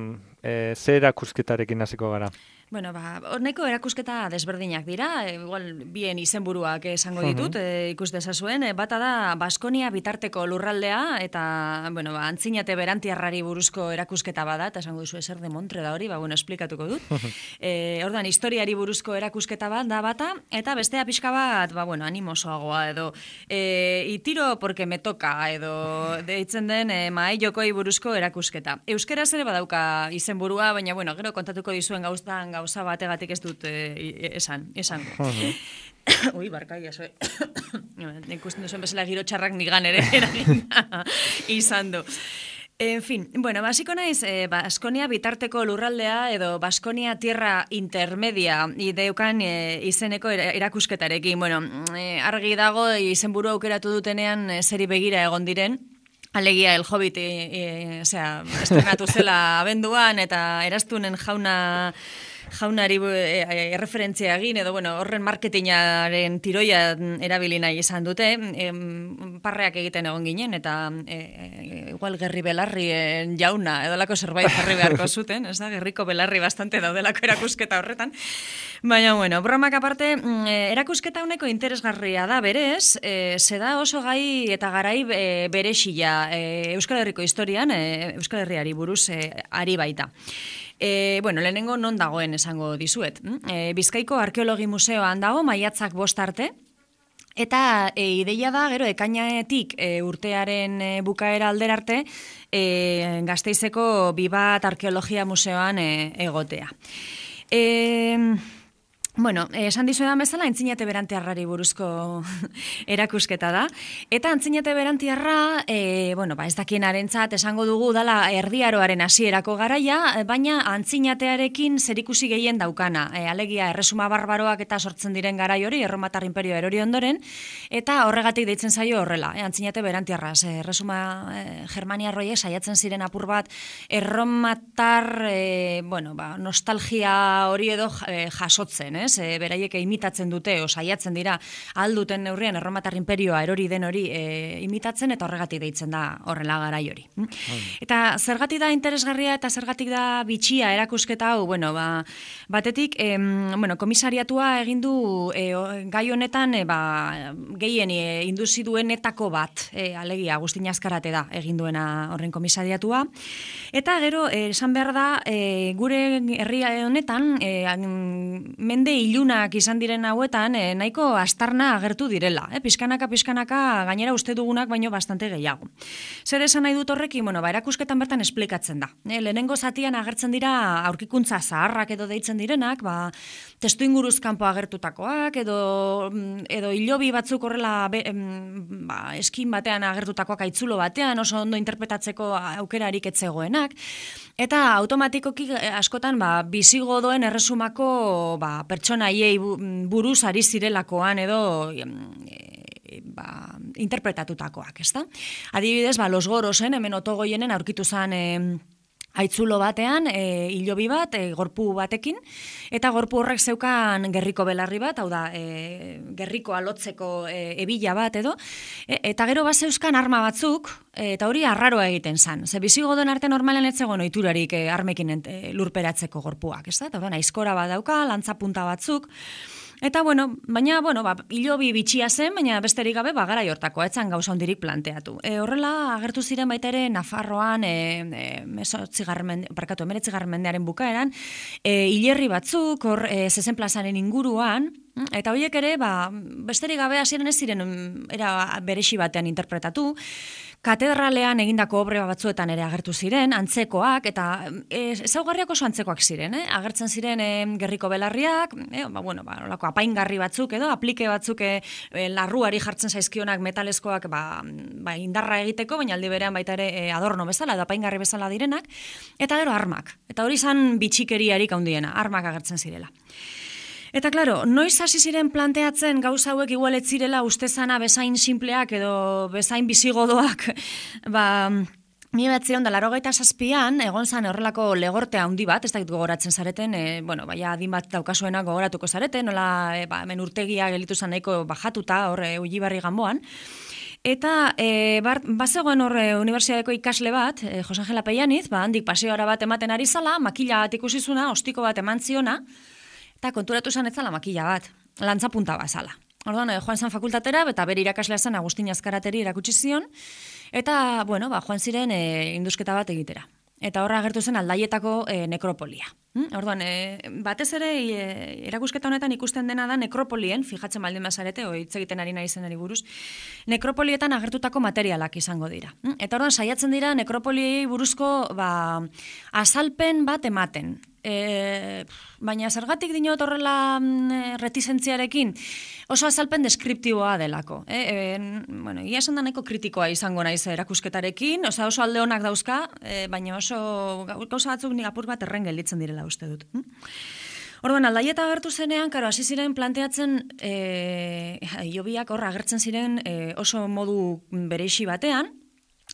ze erakusketarekin hasiko gara? Nahiko erakusketa desberdinak dira, igual bien izenburuak esango ditut, ikus dezazuen, bata da Baskonia bitarteko lurraldea, eta, antzinate berantiarrari buruzko erakusketa bada, eta esango duzu ezer de Montre da hori, esplikatuko dut. Ordan, historiari buruzko erakusketa bat da bata, eta bestea pixka bat, animosoagoa, edo itiro porque me toka, edo deitzen den mahai jokoi buruzko erakusketa. Euskaraz ere badauka izenburua, baina, gero kontatuko dizuen gauza bategatik ez dut esango. Ui, barkai, eso. Ikusten duzuen bezala giro txarrak nigan ere izan du. En fin, basiko naiz, Baskonia bitarteko lurraldea edo Baskonia tierra intermedia ideukan izeneko erakusketarekin. Argi dago izenburu aukeratu dutenean zeri begira egon diren, alegia El Hobbit, estrenatu zela abenduan, eta Eraztunen jaunari erreferentzia egin, edo horren marketingaren tiroia erabili nahi izan dute, parreak egiten egon ginen, eta igual Gerri Belarrien jauna, edolako zerbait jarri beharko zuten, ez da, Gerriko Belarri bastante daudelako erakusketa horretan. Baina, bromak aparte, erakusketa honeko interesgarria da berez, zeda oso gai eta garai berexila Euskal Herriko historian, Euskal Herriari buruz ari baita. Lehenengo non dagoen esango dizuet. Bizkaiko Arkeologi Museoan dago, maiatzak 5 arte, eta ideia da, gero, ekainetik urtearen bukaera alderarte, Gasteizeko Bibat Arkeologia Museoan egotea. Esan dizuedan bezala, Antzinate Berantiarrari buruzko erakusketa da. Eta Antzinate Berantiarra, ez dakienarentzat esango dugu dala erdiaroaren hasierako garaia, baina Antzinatearekin zerikusi gehien daukana. Alegia, erresuma barbaroak eta sortzen diren garai hori, Erromatar Imperio erori ondoren, eta horregatik deitzen zaio horrela, Antzinate Berantiarra. Erresuma germaniarroiek saiatzen ziren apur bat, Erromatar, nostalgia hori edo jasotzen, beraiek imitatzen dute, saiatzen dira alduten neurrian Erromatar Imperioa erori den hori imitatzen, eta horregatik deitzen da horrela garai hori. Eta zergatik da interesgarria eta zergatik da bitxia erakusketa hau, batetik, komisariatua egin du gai honetan gehien induzi duenetako bat, alegia Agustin Azkarate da egin duena horren komisariatua, eta gero, esan behar da, gure herri honetan, mende ilunak izan diren hauetan, nahiko astarna agertu direla. Pizkanaka gainera uste dugunak baino bastante gehiago. Zer esan nahi dut horrekin, erakusketan bertan esplikatzen da. Lehenengo zatian agertzen dira aurkikuntza zaharrak edo deitzen direnak, testu inguruz kanpo agertutakoak, edo hilobi batzuk horrela eskin batean agertutakoak aitzulo batean, oso ondo interpretatzeko aukerarik etzegoenak, eta automatikoki askotan bizigodoen erresumako pertsonaiei buruz ari zirelakoan edo interpretatutakoak, ezta? Adibidez, Los Gorosen, hemen Otogoienen aurkitu zen Aitzulo batean, hilobi bat, gorpu batekin, eta gorpu horrek zeukan gerriko belarri bat, hau da, gerriko alotzeko ebila bat edo, eta gero bat zeuzkan arma batzuk, eta hori arraroa egiten zan. Ze bisigodoen arte normalen ez zegoen ohiturarik armekin lurperatzeko gorpuak, ez da? Eta hori, aizkora bat dauka, lantzapunta batzuk, eta, baina, hilobi bitxia zen, baina besterik gabe, garai hortakoa, etzan gauza hondirik planteatu. Horrela, agertu ziren baita ere, Nafarroan, 19. mendearen bukaeran, hilerri batzuk, hor, Zezen plazaren inguruan, eta horiek ere, besterik gabe hasieran ez ziren, era beresi batean interpretatu, katedralean egindako obre batzuetan ere agertu ziren, antzekoak, eta ezaugarriak oso antzekoak ziren, agertzen ziren gerriko belarriak, olako apaingarri batzuk edo, aplike batzuk larruari jartzen zaizkionak metalezkoak indarra egiteko, baina aldi berean baita ere adorno bezala, edo apaingarri bezala direnak, eta gero armak. Eta hori izan bitxikeriarik handiena, armak agertzen zirela. Eta, klaro, noiz hasi ziren planteatzen gauza hauek igual ez zirela ustezana bezain simpleak edo bezain bizigodoak, 1987an egon zan horrelako legorte handi bat, ez dakit gogoratzen zareten, adin bat daukasuena gogoratuko zareten, nola hemen urtegia gelitu zan nahiko bajatuta, hor Ulibarri Ganboan, eta bazegoen hor unibertsitateko ikasle bat, Jose Angela Pellaniz, handik paseora bat ematen ari zala, makila bat ikusizuna, ostiko bat eman ziona, eta konturatu zan etzala makila bat, lantzapunta bazala. Orduan, joan zan fakultatera, eta bere irakaslea zan Agustin Azkarateri erakutsi zion, eta, joan ziren indusketa bat egitera. Eta horra agertu zen Aldaietako nekropolia. Orduan, batez ere erakusketa honetan ikusten dena da nekropolien, fijatzen baldin bazarete, hitz egiten ari nahi zenari buruz, nekropolietan agertutako materialak izango dira. Eta orduan, saiatzen dira nekropoliei buruzko azalpen bat ematen. Baina zergatik dinot horrela reticentziarekin oso azalpen deskriptiboa delako. Ia esan da nahiko kritikoa izango naiz erakusketarekin, oso alde honak dauzka, baina oso gauza batzuk nik apur bat erren gelditzen direla uste dut. Orduan, Aldaieta agertu zenean, hasi ziren planteatzen hilobiak horra agertzen ziren oso modu bereixi batean,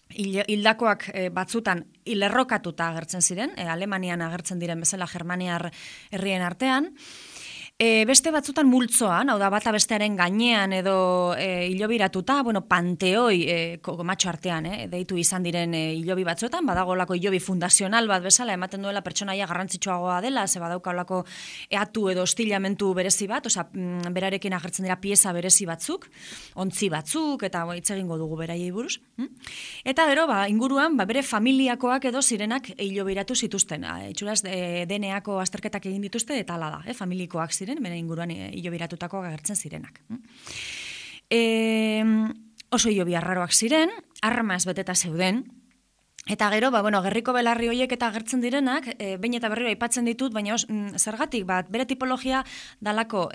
hildakoak batzutan hilerrokatuta agertzen ziren, Alemanian agertzen diren bezala Germaniar herrien artean, beste batzutan multzoan, hau da bata bestearen gainean edo hilobiratuta, panteoi matxo artean, deitu izan diren hilobi batzuetan, badagolako hilobi fundazional bat bezala, ematen duela pertsonaia garrantzitsuagoa dela, ze badaukalako eatu edo ostilamentu berezi bat, berarekin agertzen dira pieza berezi batzuk, ontzi batzuk, eta hitz egingo dugu beraiei buruz. Eta gero, inguruan, bere familiakoak edo zirenak hilobiratu zituzten. Itxuraz, DNA-ko azterketak egin dituzte, eta hala da, familikoak ziren, bere inguruan hilobiratutako agertzen zirenak. Oso hilobi arraroak ziren, armaz beteta zeuden, eta gero, gerriko belarri horiek eta agertzen direnak, behin eta berriro aipatzen ditut, baina zergatik, bere tipologia dalako,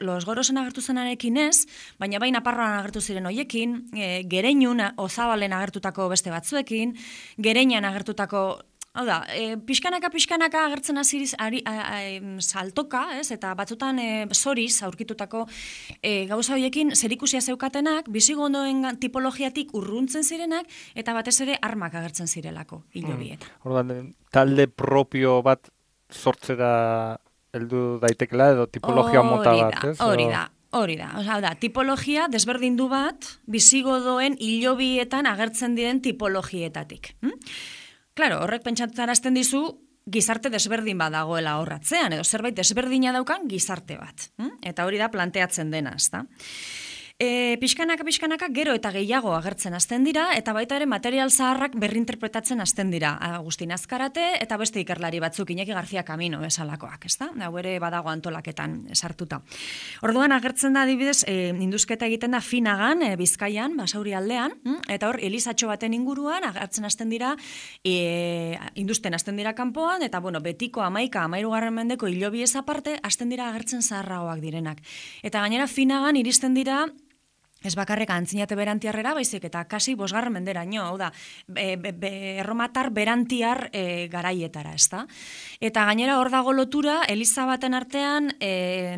los gorosen agertu zenarekin ez, baina baina Nafarroan agertu ziren horiekin, Gereinun, Ozabalen agertutako beste batzuekin, Gereinan agertutako. Hau da, pixkanaka agertzen aziriz saltoka, eta batzutan zoriz aurkitutako gauza horiekin zerikusia zeukatenak, bisigodoen tipologiatik urruntzen zirenak, eta batez ere armak agertzen zirelako hilobietan. Orduan, talde propio bat sortzera heldu daitekela edo tipologia mota bat, ez? Hori da, tipologia desberdindu bat bisigodoen hilobietan agertzen diren tipologietatik. Klaro, horrek pentsatzarazten dizu gizarte desberdin bat dagoela horratzean, edo zerbait desberdina daukan gizarte bat. Eta hori da planteatzen dena, ezta? Pixkanaka gero eta gehiago agertzen hasten dira, eta baita ere material zaharrak berrinterpretatzen hasten dira. Agustin Azkarate eta beste ikerlari batzuk, Iñaki García Camino esalakoak, ezta? Hau ere badago antolaketan sartuta. Orduan agertzen da adibidez, indusketa egiten da Finagan, Bizkaian, Basauri aldean, eta hor elizatxo baten inguruan agertzen hasten dira, industen hasten dira kanpoan, eta betiko 13 mendeko hilobiez aparte hasten dira agertzen zaharragoak direnak. Eta gainera Finagan iristen dira ez bakarrik antzinate berantiarrera, baizik eta kasi 5. menderaino, hau da, erromatar berantiar garaietara, ezta? Eta gainera hor dago lotura, eliza baten artean,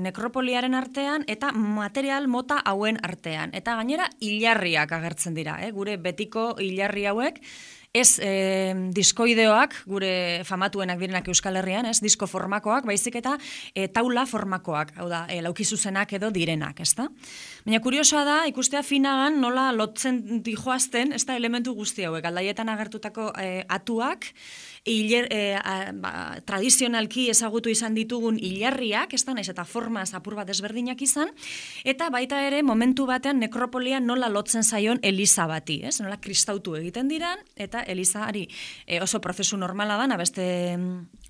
nekropoliaren artean, eta material mota hauen artean. Eta gainera hilarriak agertzen dira, gure betiko hilarri hauek, ez diskoideoak, gure famatuenak direnak Euskal Herrian, ez, disko formakoak, baizik eta taula formakoak, hau da, laukizuzenak edo direnak, ezta? Baina kuriosoa da, ikustea finagan nola lotzen dijoazten, ez da elementu guzti hauek, aldaietan agertutako atuak, tradizionalki ezagutu izan ditugun hilarriak, ez da, naiz eta formaz apur bat desberdinak izan, eta baita ere momentu batean nekropolia nola lotzen zaion eliza bati, ez? Nola kristautu egiten diran, eta elizari oso prozesu normala da, beste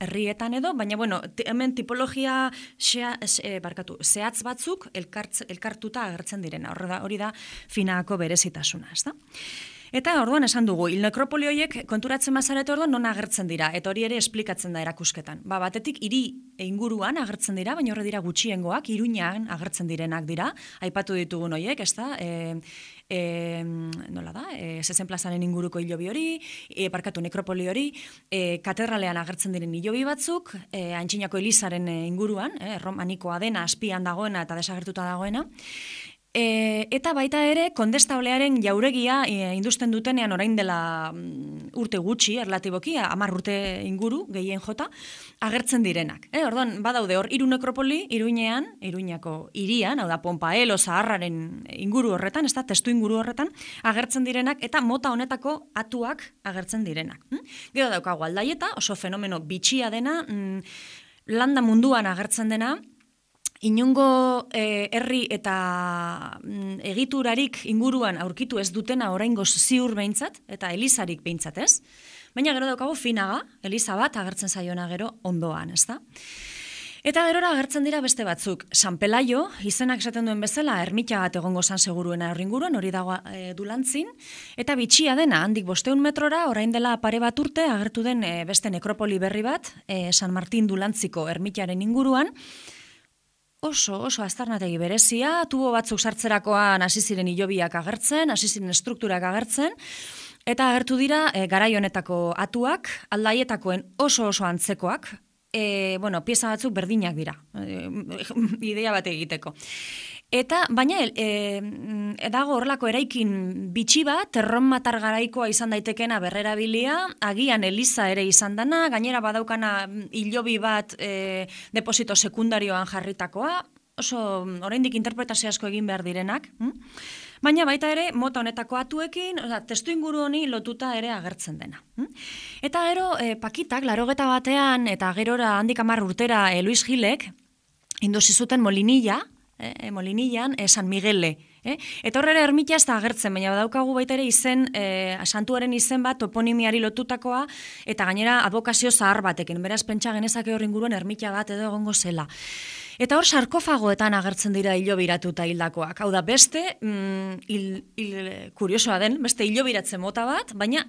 herrietan edo, baina bueno, hemen tipologia zehatz batzuk elkartuta agertzen direna, hori da finaako berezitasuna, ez da? Eta orduan esan dugu, nekropoli horiek konturatzen bazarete orduan non agertzen dira, eta hori ere esplikatzen da erakusketan. Batetik hiri inguruan agertzen dira, baina horre dira gutxiengoak, Iruñan agertzen direnak dira, aipatu ditugun horiek, ez da, nola da, Zezen plazaren inguruko hilobi hori, nekropoli hori, katedralean agertzen diren hilobi batzuk, Antxinako Elizaren inguruan, romanikoa dena, azpian dagoena eta desagertuta dagoena, eta baita ere, kondestablearen jauregia industen dutenean orain dela urte gutxi, erlatiboki, 10 urte inguru, gehien jota, agertzen direnak. Orduan, badaude hor, 3 nekropoli, Iruñako hirian, hau da, Ponpaelo, Zaharraren inguru horretan, ez da, testu inguru horretan, agertzen direnak, eta mota honetako atuak agertzen direnak. Gero daukagu Aldaieta, oso fenomeno bitxia dena, landa munduan agertzen dena, inongo herri eta egiturarik inguruan aurkitu ez dutena oraingoz ziur behintzat, eta elizarik behintzat ez. Baina gero daukagu finaga, eliza bat agertzen zaiona gero ondoan, ez da? Eta gerora agertzen dira beste batzuk. San Pelaio, izenak esaten duen bezala, ermita bat egongo zan seguruena horringuruan, hori dago Dulantzin, eta bitxia dena, handik 500 metrora, orain dela pare bat urte, agertu den beste nekropoli berri bat, San Martin Dulantziko ermitaren inguruan, oso aztarnategi berezia, tubo batzuk sartzerakoan hasi ziren hilobiak agertzen, hasi ziren estrukturak agertzen, eta agertu dira garai honetako atuak, Aldaietakoen oso antzekoak, pieza batzuk berdinak dira, idea bat egiteko. Eta, baina, dago horrelako eraikin bitxi bat, erromatar garaikoa izan daitekena berrerabilia, agian eliza ere izan dana, gainera badaukana hilobi bat deposito sekundarioan jarritakoa, oso oraindik interpretazio asko egin behar direnak, baina baita ere mota honetako atuekin, testu inguru honi lotuta ere agertzen dena. Eta gero, Pakitak, 80 batean, eta gerora handik 10 urtera Luis Gilek, induzi zuten Molinilla, Molinillan, San Miguele. Eta horrela ermita ez da agertzen, baina badaukagu baita ere izen, santuaren izen bat toponimiari lotutakoa, eta gainera advokazio zahar batekin, beraz pentsa genezake horren inguruan ermita bat edo egongo zela. Eta hor sarkofagoetan agertzen dira hilobiratuta hildakoak. Hau da, beste, kuriosoa den, beste hilobiratzen mota bat, baina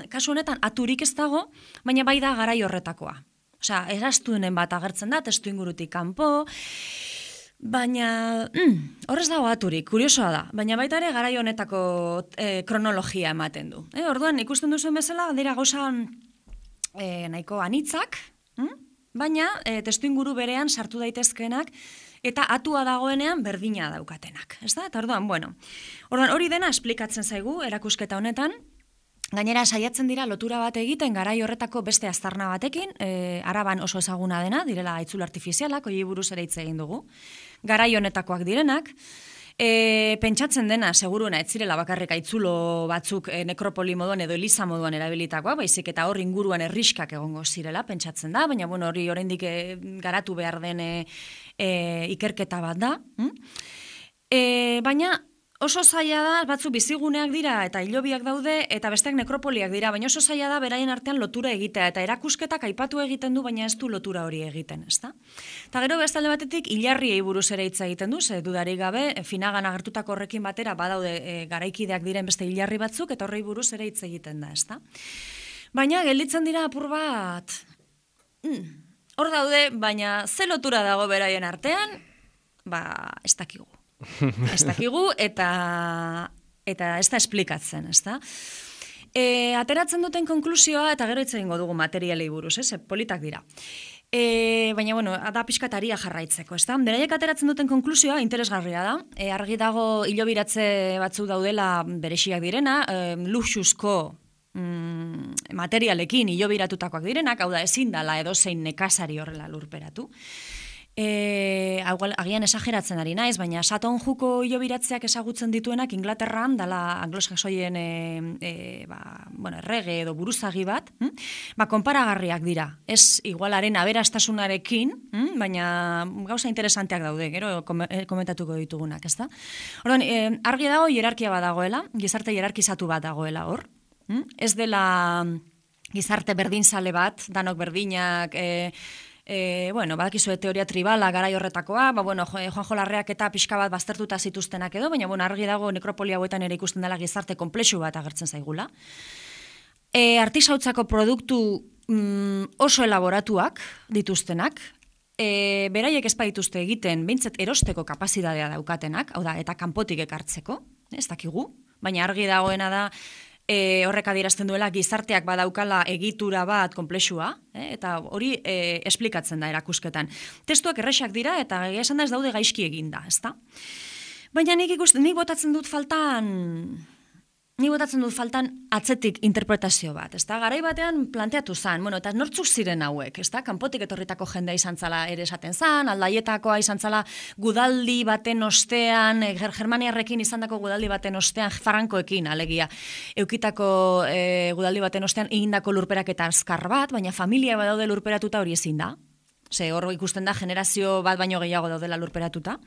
kasu honetan aturik ez dago, baina bai da garai horretakoa. Osea, eraztuenen bat agertzen da, testu ingurutik kanpo, baina horrez dago aturik, kuriosoa da, baina baita ere garai honetako kronologia ematen du. Orduan, ikusten duzuen bezala, dira gauza nahiko anitzak, baina testu inguru berean sartu daitezkeenak, eta atua dagoenean berdina daukatenak. Ez da? Eta orduan, hori dena esplikatzen zaigu erakusketa honetan, gainera saiatzen dira lotura bat egiten garai horretako beste aztarna batekin, Araban oso ezaguna dena, direla haitzul artifizialak, hori buruz ere hitz egin dugu, garai honetakoak direnak, pentsatzen dena, seguruena, ez zirela bakarrik haitzulo batzuk nekropoli moduan edo eliza moduan erabilitakoa, baizik eta hor inguruan herriskak egongo zirela, pentsatzen da, baina hori oraindik garatu behar den ikerketa bat da. Baina oso zaila da, batzu biziguneak dira eta hilobiak daude eta besteak nekropoliak dira, baina oso zaila da beraien artean lotura egitea eta erakusketak aipatu egiten du, baina ez du lotura hori egiten, ezta? Eta gero bestalde batetik hilarriei buruz ere hitz egiten du, ze dudarik gabe, finagan agertutako horrekin batera badaude garaikideak diren beste hilarri batzuk eta horrei buruz ere hitz egiten da, ezta? Baina gelditzen dira apur bat, hor daude, baina ze lotura dago beraien artean, ez dakigu. Ez dakigu eta ez da esplikatzen, ez da? Ateratzen duten konklusioa, eta gero hitz egingo dugu materialei buruz, politak dira. Baina, da pixkataria jarraitzeko, ez da? Beraiek ateratzen duten konklusioa interesgarria da. Argi dago hilobiratze batzuk daudela berexiak direna, luxuzko materialekin hilobiratutakoak direnak, hau da ezin dala edozein nekazari horrela lurperatu. Agian esageratzen ari naiz, baina Saton Juko hilobiratzeak ezagutzen dituenak Inglaterran dala anglosaxoien errege edo buruzagi bat, konparagarriak dira. Ez igualaren aberastasunarekin, baina gauza interesanteak daude, gero komentatuko ditugunak, ezta? Orduan, argi dago hierarkia bat dagoela, gizarte hierarkizatu bat dagoela hor. Ez dela gizarte berdinzale bat, danok berdinak, badakizue teoria tribala garai horretakoa, Juanjo Larreak eta pixka bat baztertuta zituztenak edo, baina argi dago nekropolia hauetan ere ikusten dela gizarte konplexu bat agertzen zaigula. Artisautzako produktu oso elaboratuak dituztenak, beraiek ez dituzte egiten, behintzat erosteko kapazitatea daukatenak, hau da, eta kanpotik ekartzeko, ez dakigu, baina argi dagoena da, horrek adierazten duela gizarteak badaukala egitura bat konplexua, eta hori esplikatzen da erakusketan. Testuak erresak dira eta esan da ez daude gaizki eginda, ezta? Baina nik botatzen dut faltan atzetik interpretazio bat, ezta? Garai batean planteatu zan, eta nortzuk ziren hauek, ezta? Kanpotik etorritako jendea izan zala ere esaten zan, Aldaietakoa izan zala gudaldi baten ostean, Germaniarrekin izandako gudaldi baten ostean, Frankoekin alegia, eukitako gudaldi baten ostean egindako lurperak eta azkar bat, baina familia badaude lurperatuta hori ezin da. Hor ikusten da generazio bat baino gehiago daudela lurperatuta.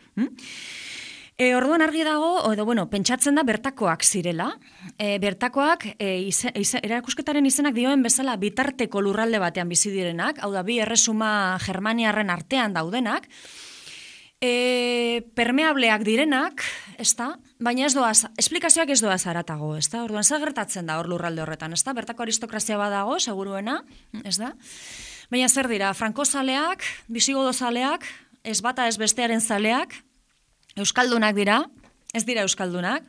Orduan argi dago, pentsatzen da bertakoak zirela. Bertakoak, erakusketaren izenak dioen bezala bitarteko lurralde batean bizi direnak, hau da, bi erresuma Germaniarren artean daudenak, permeableak direnak, ezta? Baina esplikazioak ez doaz haratago, ezta? Orduan, zer gertatzen da hor lurralde horretan, ezta? Bertako aristokrazia badago, seguruena, ez da? Baina zer dira, frankozaleak, bisigodozaleak, ez bata ez bestearen zaleak, euskaldunak dira, ez dira euskaldunak,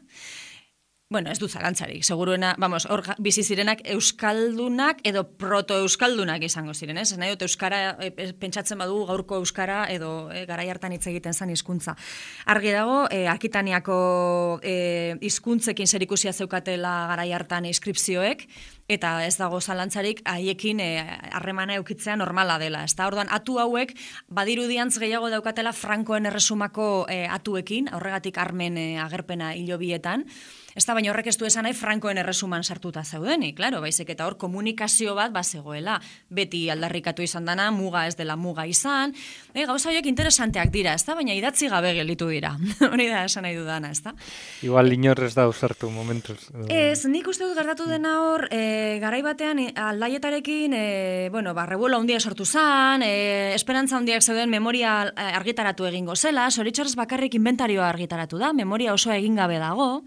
ez du zalantzarik, seguruena, hor bizi zirenak euskaldunak edo proto-euskaldunak izango ziren, ez? Nahi dut euskara, pentsatzen badugu gaurko euskara edo garai hartan hitz egiten zen hizkuntza. Argi dago, Akitaniako hizkuntzekin zerikusia zeukatela garai hartan inskripzioek, eta ez dago zalantzarik haiekin harremana eukitzea normala dela. Orduan, atu hauek badirudiantz gehiago daukatela Frankoen erresumako atuekin, horregatik armen agerpena hilobietan, baina horrek ez du esan nahi Frankoen erresuman sartuta zeudenik, klaro, baizik eta hor komunikazio bat bazegoela, beti aldarrikatu izan dana, muga ez dela muga izan, gauza horiek interesanteak dira, baina idatzi gabe gelditu dira, hori da esan nahi dudana, Igual inorrez da usartu momentuz. Ez, nik uste dut gertatu dena hor, garai batean Aldaietarekin, revuelo handia sortu zan, esperantza handiak zeuden memoria argitaratu egingo zela, zoritxarrez bakarrik inventarioa argitaratu da, memoria osoa egin gabe dago,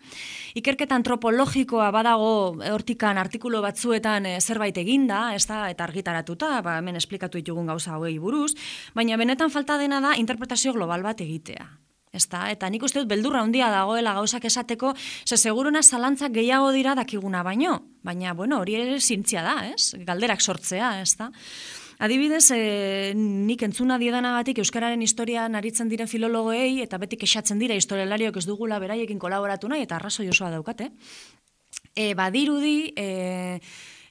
ikerketa antropologikoa badago hortikan artikulu batzuetan zerbait eginda, eta argitaratuta, hemen esplikatu ditugun gauza hauei buruz, baina benetan falta dena da interpretazio global bat egitea. Eta nik uste dut beldurra handia dagoela gauzak esateko, seguruna zalantzak gehiago dira dakiguna baino, baina hori ere zintzia da, galderak sortzea, Adibidez, nik entzuna diedanagatik euskararen historian aritzen diren filologoei eta beti kexatzen dira historialariok ez dugula beraiekin kolaboratu nahi eta arrazoi osoa daukate. Badirudi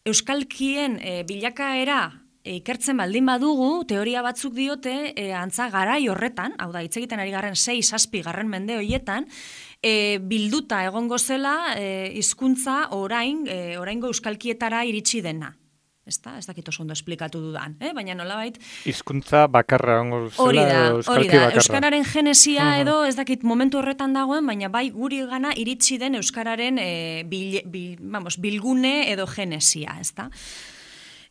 euskalkien bilakaera ikertzen baldin badugu, teoria batzuk diote antza garai horretan, hau da hitz egiten ari garren 6-7 mende horietan, bilduta egongo zela hizkuntza oraingo euskalkietara iritsi dena. Ez dakit oso ondo esplikatu dudan, baina nolabait... Hizkuntza bakarra, hori da, euskararen genesia edo ez dakit momentu horretan dagoen, baina bai guri gana iritsi den euskararen bilgune edo genesia, ez da?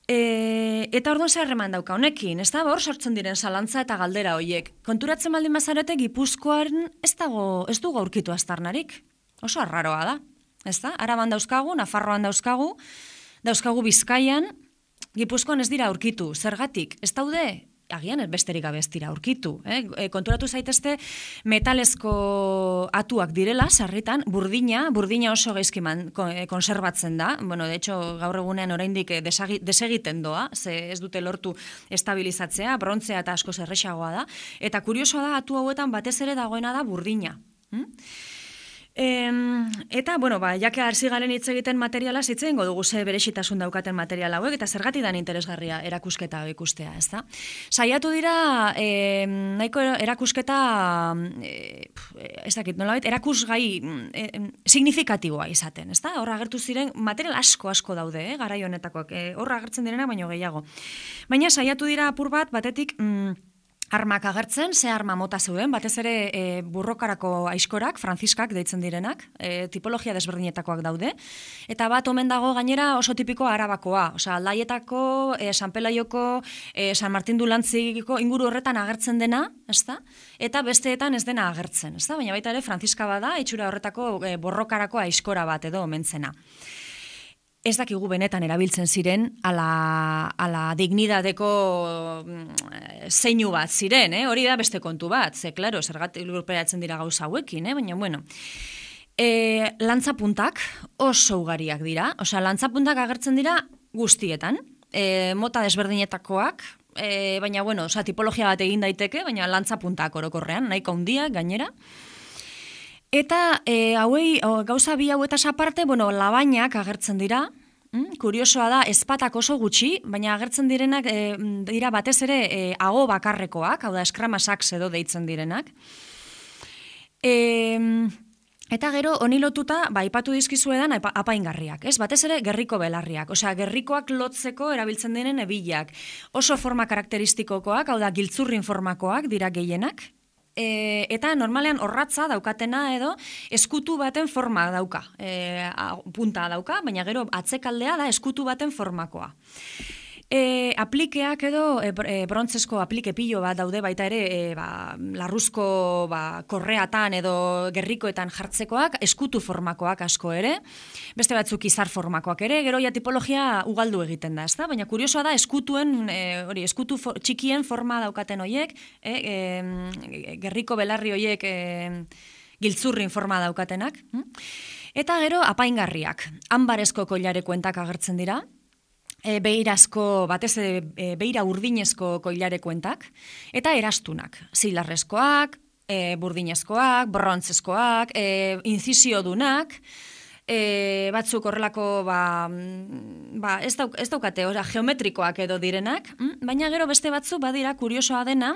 Eta orduan zer harreman dauka honekin, ez da? Hor sortzen diren zalantza eta galdera horiek. Konturatzen baldin bazarete Gipuzkoaren ez dugu aurkitu aztarnarik. Oso arraroa da, ez da? Araban dauzkagu, Nafarroan dauzkagu Bizkaian, Gipuzkoan ez dira aurkitu, zergatik, ez daude, agian besterik gabe ez dira aurkitu. Konturatu zaitezte metalezko atuak direla, sarritan, burdina oso gaizki konserbatzen da, de hecho, gaur egunean oraindik desegiten doa, ze ez dute lortu estabilizatzea, brontzea eta asko erresagoa da, eta kuriosoa da atu hauetan batez ere dagoena da burdina. Eta, bueno, jake arzi garen hitz egiten materiala, zitzen dugu ze berexitasun daukaten material hauek, eta zergatik dan interesgarria erakusketa ikustea, ez da? Saiatu dira, nahiko erakusketa, ez dakit, nolabait, erakusgai signifikatiboa izaten, ez da? Horra agertu ziren, material asko daude, garai honetakoak, horra agertzen direna, baino gehiago. Baina saiatu dira apur batetik, armak agertzen, ze arma mota zeuden, batez ere burrokarako aiskorak, franziskak deitzen direnak, tipologia desberdinetakoak daude, eta bat omen dago gainera oso tipiko arabakoa, osea, Aldaietako, San Pelaioko, San Martin Dulantziko inguru horretan agertzen dena, ezta? Eta besteetan ez dena agertzen, ezta? Baina baita ere franziska bada, itxura horretako borrokarako aiskora bat edo omentzena. Ez dakigu benetan erabiltzen ziren ala dignidadeko zeinu bat ziren, hori da beste kontu bat, ze, klaro, zergatik lurperatzen dira gauza hauekin, baina, bueno. Lantzapuntak oso ugariak dira, osea, lantzapuntak agertzen dira guztietan, mota desberdinetakoak, baina, bueno, osea, tipologia bat egin daiteke, baina lantzapuntak orokorrean, nahiko handiak gainera. Eta hauei, gauza bi hauetaz aparte, bueno, labainak agertzen dira, kuriosoa da, ezpatak oso gutxi, baina agertzen direnak dira batez ere ago bakarrekoak, hau da, eskramasak edo deitzen direnak. Eta gero, honi lotuta, aipatu dizkizuedan apaingarriak, ez? Batez ere, gerriko belarriak, osea, gerrikoak lotzeko erabiltzen diren ebilak. Oso forma karakteristikokoak, hau da, giltzurrin formakoak dira gehienak. Eta normalean orratza daukatena edo eskutu baten forma dauka, punta dauka, baina gero atzekaldea da eskutu baten formakoa. Aplikeak edo brontzesko aplike pilo bat daude baita ere larruzko korreatan edo gerrikoetan jartzekoak, eskutu formakoak asko ere, beste batzuk izar formakoak ere, gero ja tipologia ugaldu egiten da, ezta? Baina kuriosoa da eskutuen, eskutu txikien forma daukaten hoiek, gerriko belarri hoiek giltzurrin forma daukatenak. Eta gero apaingarriak, anbarezko koilarekuentak agertzen dira, beirazko, batez beira urdinezko koilarekuentak, eta erastunak, zilarrezkoak, burdinezkoak, brontzeskoak, inzisiodunak, batzuk horrelako ez daukate, geometrikoak edo direnak, baina gero beste batzuk badira kuriosoa dena,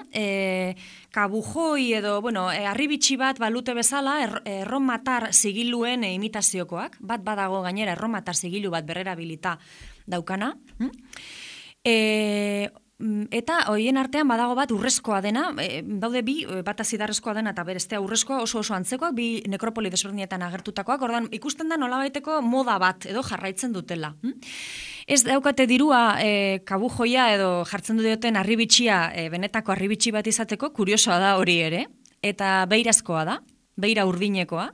kabujoi edo, arribitxi bat balute bezala erromatar zigiluen imitaziokoak, bat badago gainera erromatar zigilu bat berrerabilita daukana, eta hoien artean badago bat urrezkoa dena, daude bi, bata zidarrezkoa dena eta berestea urrezkoa oso antzekoak, bi nekropoli desberdinetan agertutakoak, ordan ikusten da nolabaiteko moda bat edo jarraitzen dutela. Ez daukate dirua kabujoia edo jartzen duten arribitxia, benetako arribitxi bat izateko, kuriosoa da hori ere, eta beirazkoa da, beira urdinekoa,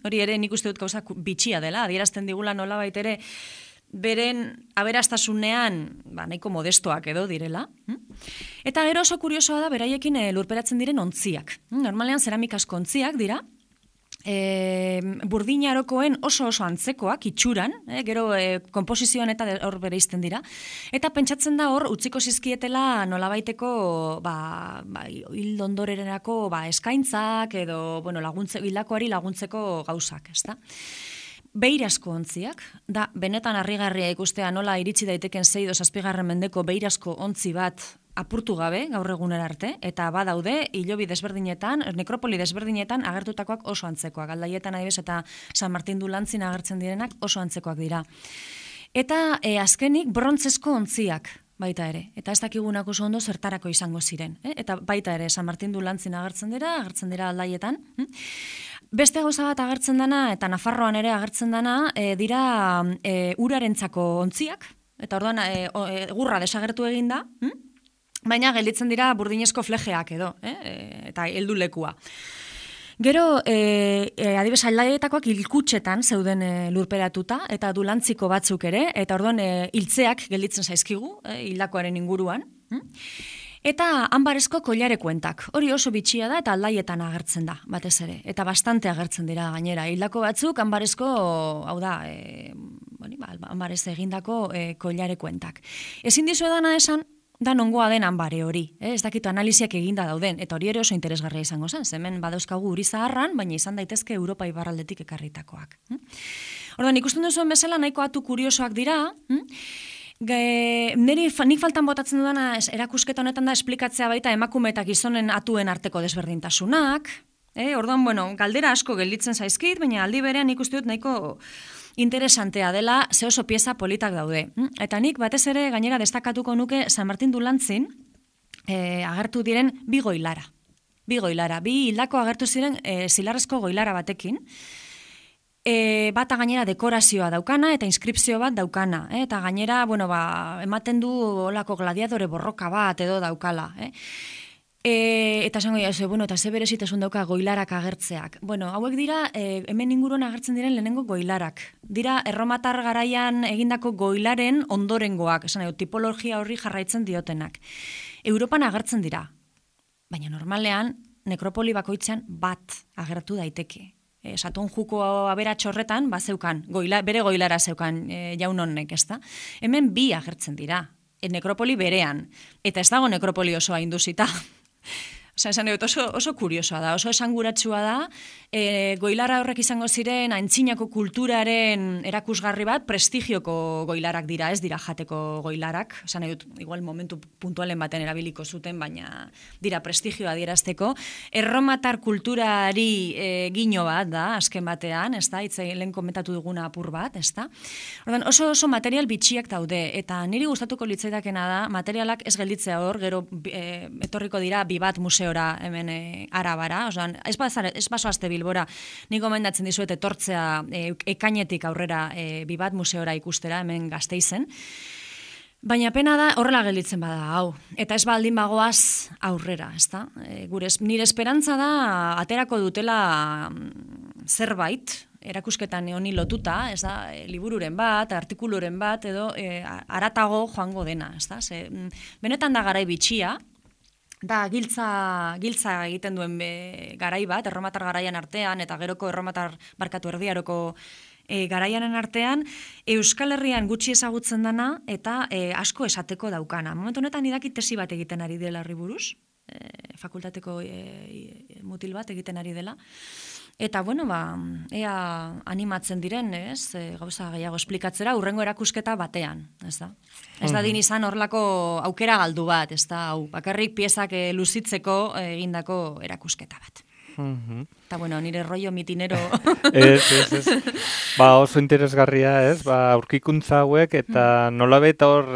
hori ere nik uste dut gauza bitxia dela, adierazten digula nolabait ere, beren aberastasunean nahiko modestoak edo direla. Eta gero oso kuriosoa da beraiekin lurperatzen diren ontziak. Normalean zeramikasko ontziak dira, burdinarokoen oso antzekoak itxuran, gero konposizioan eta hor bereizten dira, eta pentsatzen da hor utziko zizkietela nolabaiteko hil ondorerako eskaintzak edo hildakoari laguntzeko gauzak, ezta? Beirazko ontziak, da benetan harrigarria ikustea nola iritsi daiteken 6-7 mendeko beirazko ontzi bat apurtu gabe gaur egunera arte, eta badaude hilobi desberdinetan, nekropoli desberdinetan agertutakoak oso antzekoak, Aldaietan adibidez eta San Martin Dulantzin agertzen direnak oso antzekoak dira. Eta azkenik brontzesko ontziak baita ere, eta ez dakigunako oso ondo zertarako izango ziren, eta baita ere San Martin Dulantzin agertzen dira Aldaietan. Beste gauza bat agertzen dana, eta Nafarroan ere agertzen dana, dira urarentzako ontziak, eta orduan egurra desagertu egin da, baina gelditzen dira burdinezko flejeak edo, eta heldulekua. Gero, adibes Aldaietakoak hilkutxetan zeuden lurperatuta, eta dulantziko batzuk ere, eta orduan hiltzeak gelditzen zaizkigu, hildakoaren inguruan. Eta anbarezko koilarekuentak, hori oso bitxia da eta Aldaietan agertzen da, batez ere, eta bastante agertzen dira gainera. Hildako batzuk anbarezko, hau da, anbarez egindako koilarekuentak. Ezin dizuedana esan, da nongoa den anbare hori. Ez dakitu analiziak eginda dauden, eta hori ere oso interesgarria izango zen. Hemen badauzkagu uri zaharran, baina izan daitezke Europa ibarraldetik ekarritakoak. Orduan, ikusten duzuen bezala nahiko atu kuriosoak dira. Nik faltan botatzen dudana erakusketa honetan da esplikatzea baita emakume eta gizonen atuen arteko desberdintasunak. Orduan, galdera asko gelditzen zaizkit, baina aldi berean ikusten dut nahiko interesantea dela, ze oso pieza politak daude. Eta nik batez ere gainera destakatuko nuke San Martin du Lantzin agertu diren bi goilara. Bi hildako agertu ziren zilarrezko goilara batekin. Bata gainera dekorazioa daukana eta inskripzio bat daukana. Eta gainera, ematen du olako gladiadore borroka bat edo daukala. Eta esango eta ze berezitasun dauka goilarak agertzeak. Hauek dira, hemen inguruan agertzen diren lehenengo goilarak. Dira, erromatar garaian egindako goilaren ondorengoak, tipologia horri jarraitzen diotenak. Europan agertzen dira, baina normalean, nekropoli bakoitzean bat agertu daiteke. Saton juko aberatx horretan, zeukan, bere goilara zeukan jaun honek, ezta? Hemen bi agertzen dira, nekropoli berean, eta ez dago nekropoli osoa induzita. Esan dut, oso kuriosoa da, oso esanguratsua da, goilara horrek izango ziren antzinako kulturaren erakusgarri bat, prestigioko goilarak dira, ez dira jateko goilarak, esan dut, igual momentu puntualen baten erabiliko zuten, baina dira prestigioa adierazteko, erromatar kulturari gino bat da, azken batean, ez da, lehen komentatu duguna apur bat, ez da. Ordan, oso material bitxiak daude, eta niri gustatuko litzaitakena da, materialak ez gelditzea hor, gero etorriko dira Bibat museora hemen Arabara, osan, ez basoazte Bilbora, nik gomendatzen dizuet etortzea ekainetik aurrera Bibat museora ikustera hemen Gasteizen, baina pena da horrela gelditzen bada, hau, eta ez baldin bagoaz aurrera, ezta? Nire esperantza da aterako dutela zerbait, erakusketan honi lotuta, ez da, libururen bat, artikuluren bat, edo haratago joango dena, ez da? Benetan da garai bitxia, da giltza egiten duen garai bat, erromatar garaian artean, eta geroko erdiaroko garaianen artean, Euskal Herrian gutxi ezagutzen dana, eta asko esateko daukana. Momentu honetan idaki tesi bat egiten ari dela horri buruz, fakultateko mutil bat egiten ari dela, eta, ea animatzen diren, ez, gauza gehiago esplikatzera, urrengo erakusketa batean, ez da? Ez da din izan horlako aukera galdu bat, ez da, bakarrik piezak luzitzeko egindako erakusketa bat. Eta, nire rollo mitinero... Ez. Oso interesgarria, ez, aurkikuntza hauek, eta nolabait hor...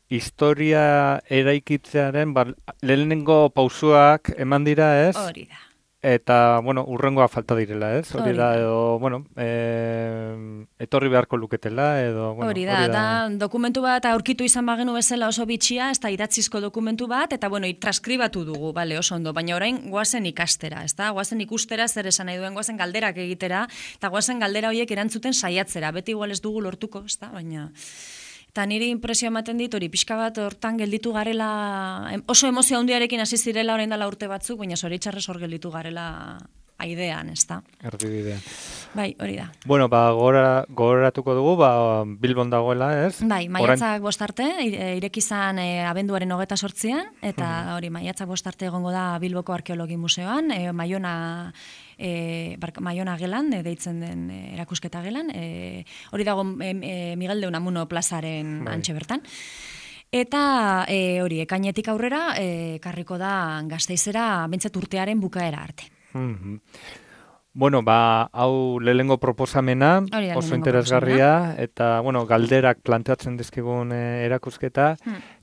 historia eraikitzearen lehenengo pausuak eman dira, ez? Hori da. Eta, urrengoa falta direla, ez? Hori da, edo, etorri beharko luketela, edo, hori da, dokumentu bat aurkitu izan bagenu bezala oso bitxia, ez da idatzizko dokumentu bat, eta, transkribatu dugu, oso ondo, baina orain goazen ikastera, ez da? Goazen ikustera, zer esan nahi duen, goazen galderak egitera, eta goazen galdera horiek erantzuten saiatzera, beti igual ez dugu lortuko, ez da? Baina... Eta niri impresio ematen dit, hori pixka bat hortan gelditu garela, oso emozio handiarekin hasi zirela orain dela urte batzuk, baina zoritxarrez hor gelditu garela aidean, ez da? Erdibidean. Bai, hori da. Gogoratuko dugu, Bilbon dagoela, ez? Bai, maiatzak bostarte, irekizan abenduaren 28an, eta hori, maiatzak bostarte egongo da Bilboko Arkeologi Museoan, Maiona gelan, deitzen den erakusketa gelan, hori dago Miguel de Unamuno plazaren antxe bertan. Eta hori, ekainetik aurrera, karriko da Gasteizera, bentsat urtearen bukaera arte. Hau lehengo proposamena, oso interesgarria, eta, galderak planteatzen dizkigun erakusketa,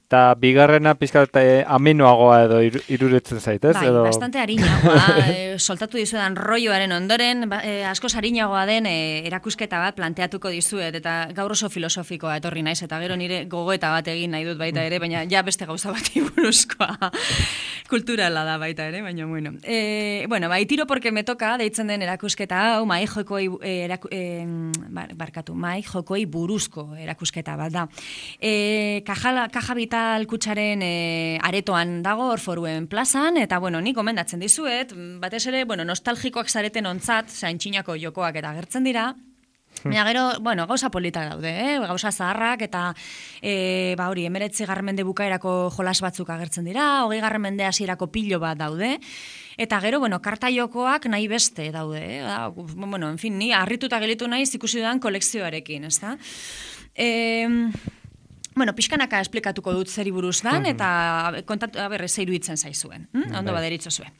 eta bigarrena pixka amenoagoa edo iruretzen zait, ez? Bai, bastante harinagoa, soltatu dizuetan rolloaren ondoren, askoz harinagoa den erakusketa bat planteatuko dizuet, eta gaur oso filosofikoa etorri naiz, eta gero nire gogoeta bat egin nahi dut baita ere, baina ja beste gauza bat buruzkoa kulturala da baita ere, baina bueno. Tiro porque me toca, deitzen den erakusketa hau, mai jokoi buruzko erakusketa bat da. Kaja Vital Kutxaren aretoan dago, Orforuen plazan, eta, nik gomendatzen dizuet, batez ere, nostalgikoak zareten ontzat, zaintxinako jokoak eta agertzen dira, Baina gero, bueno, gauza politak daude, gauza zaharrak, eta hori, 19. mende bukaerako jolas batzuk agertzen dira, 20. mende hasierako pilo bat daude, eta gero, bueno, karta jokoak nahi beste daude, bueno, en fin, ni harrituta gelitu naiz ikusi dudan kolekzioarekin, ez da? Bueno, pixkanaka esplikatuko dut zeri buruz dan, eta kontatu, zeiru iruditzen zaizuen. Ondo baderitzo zuen.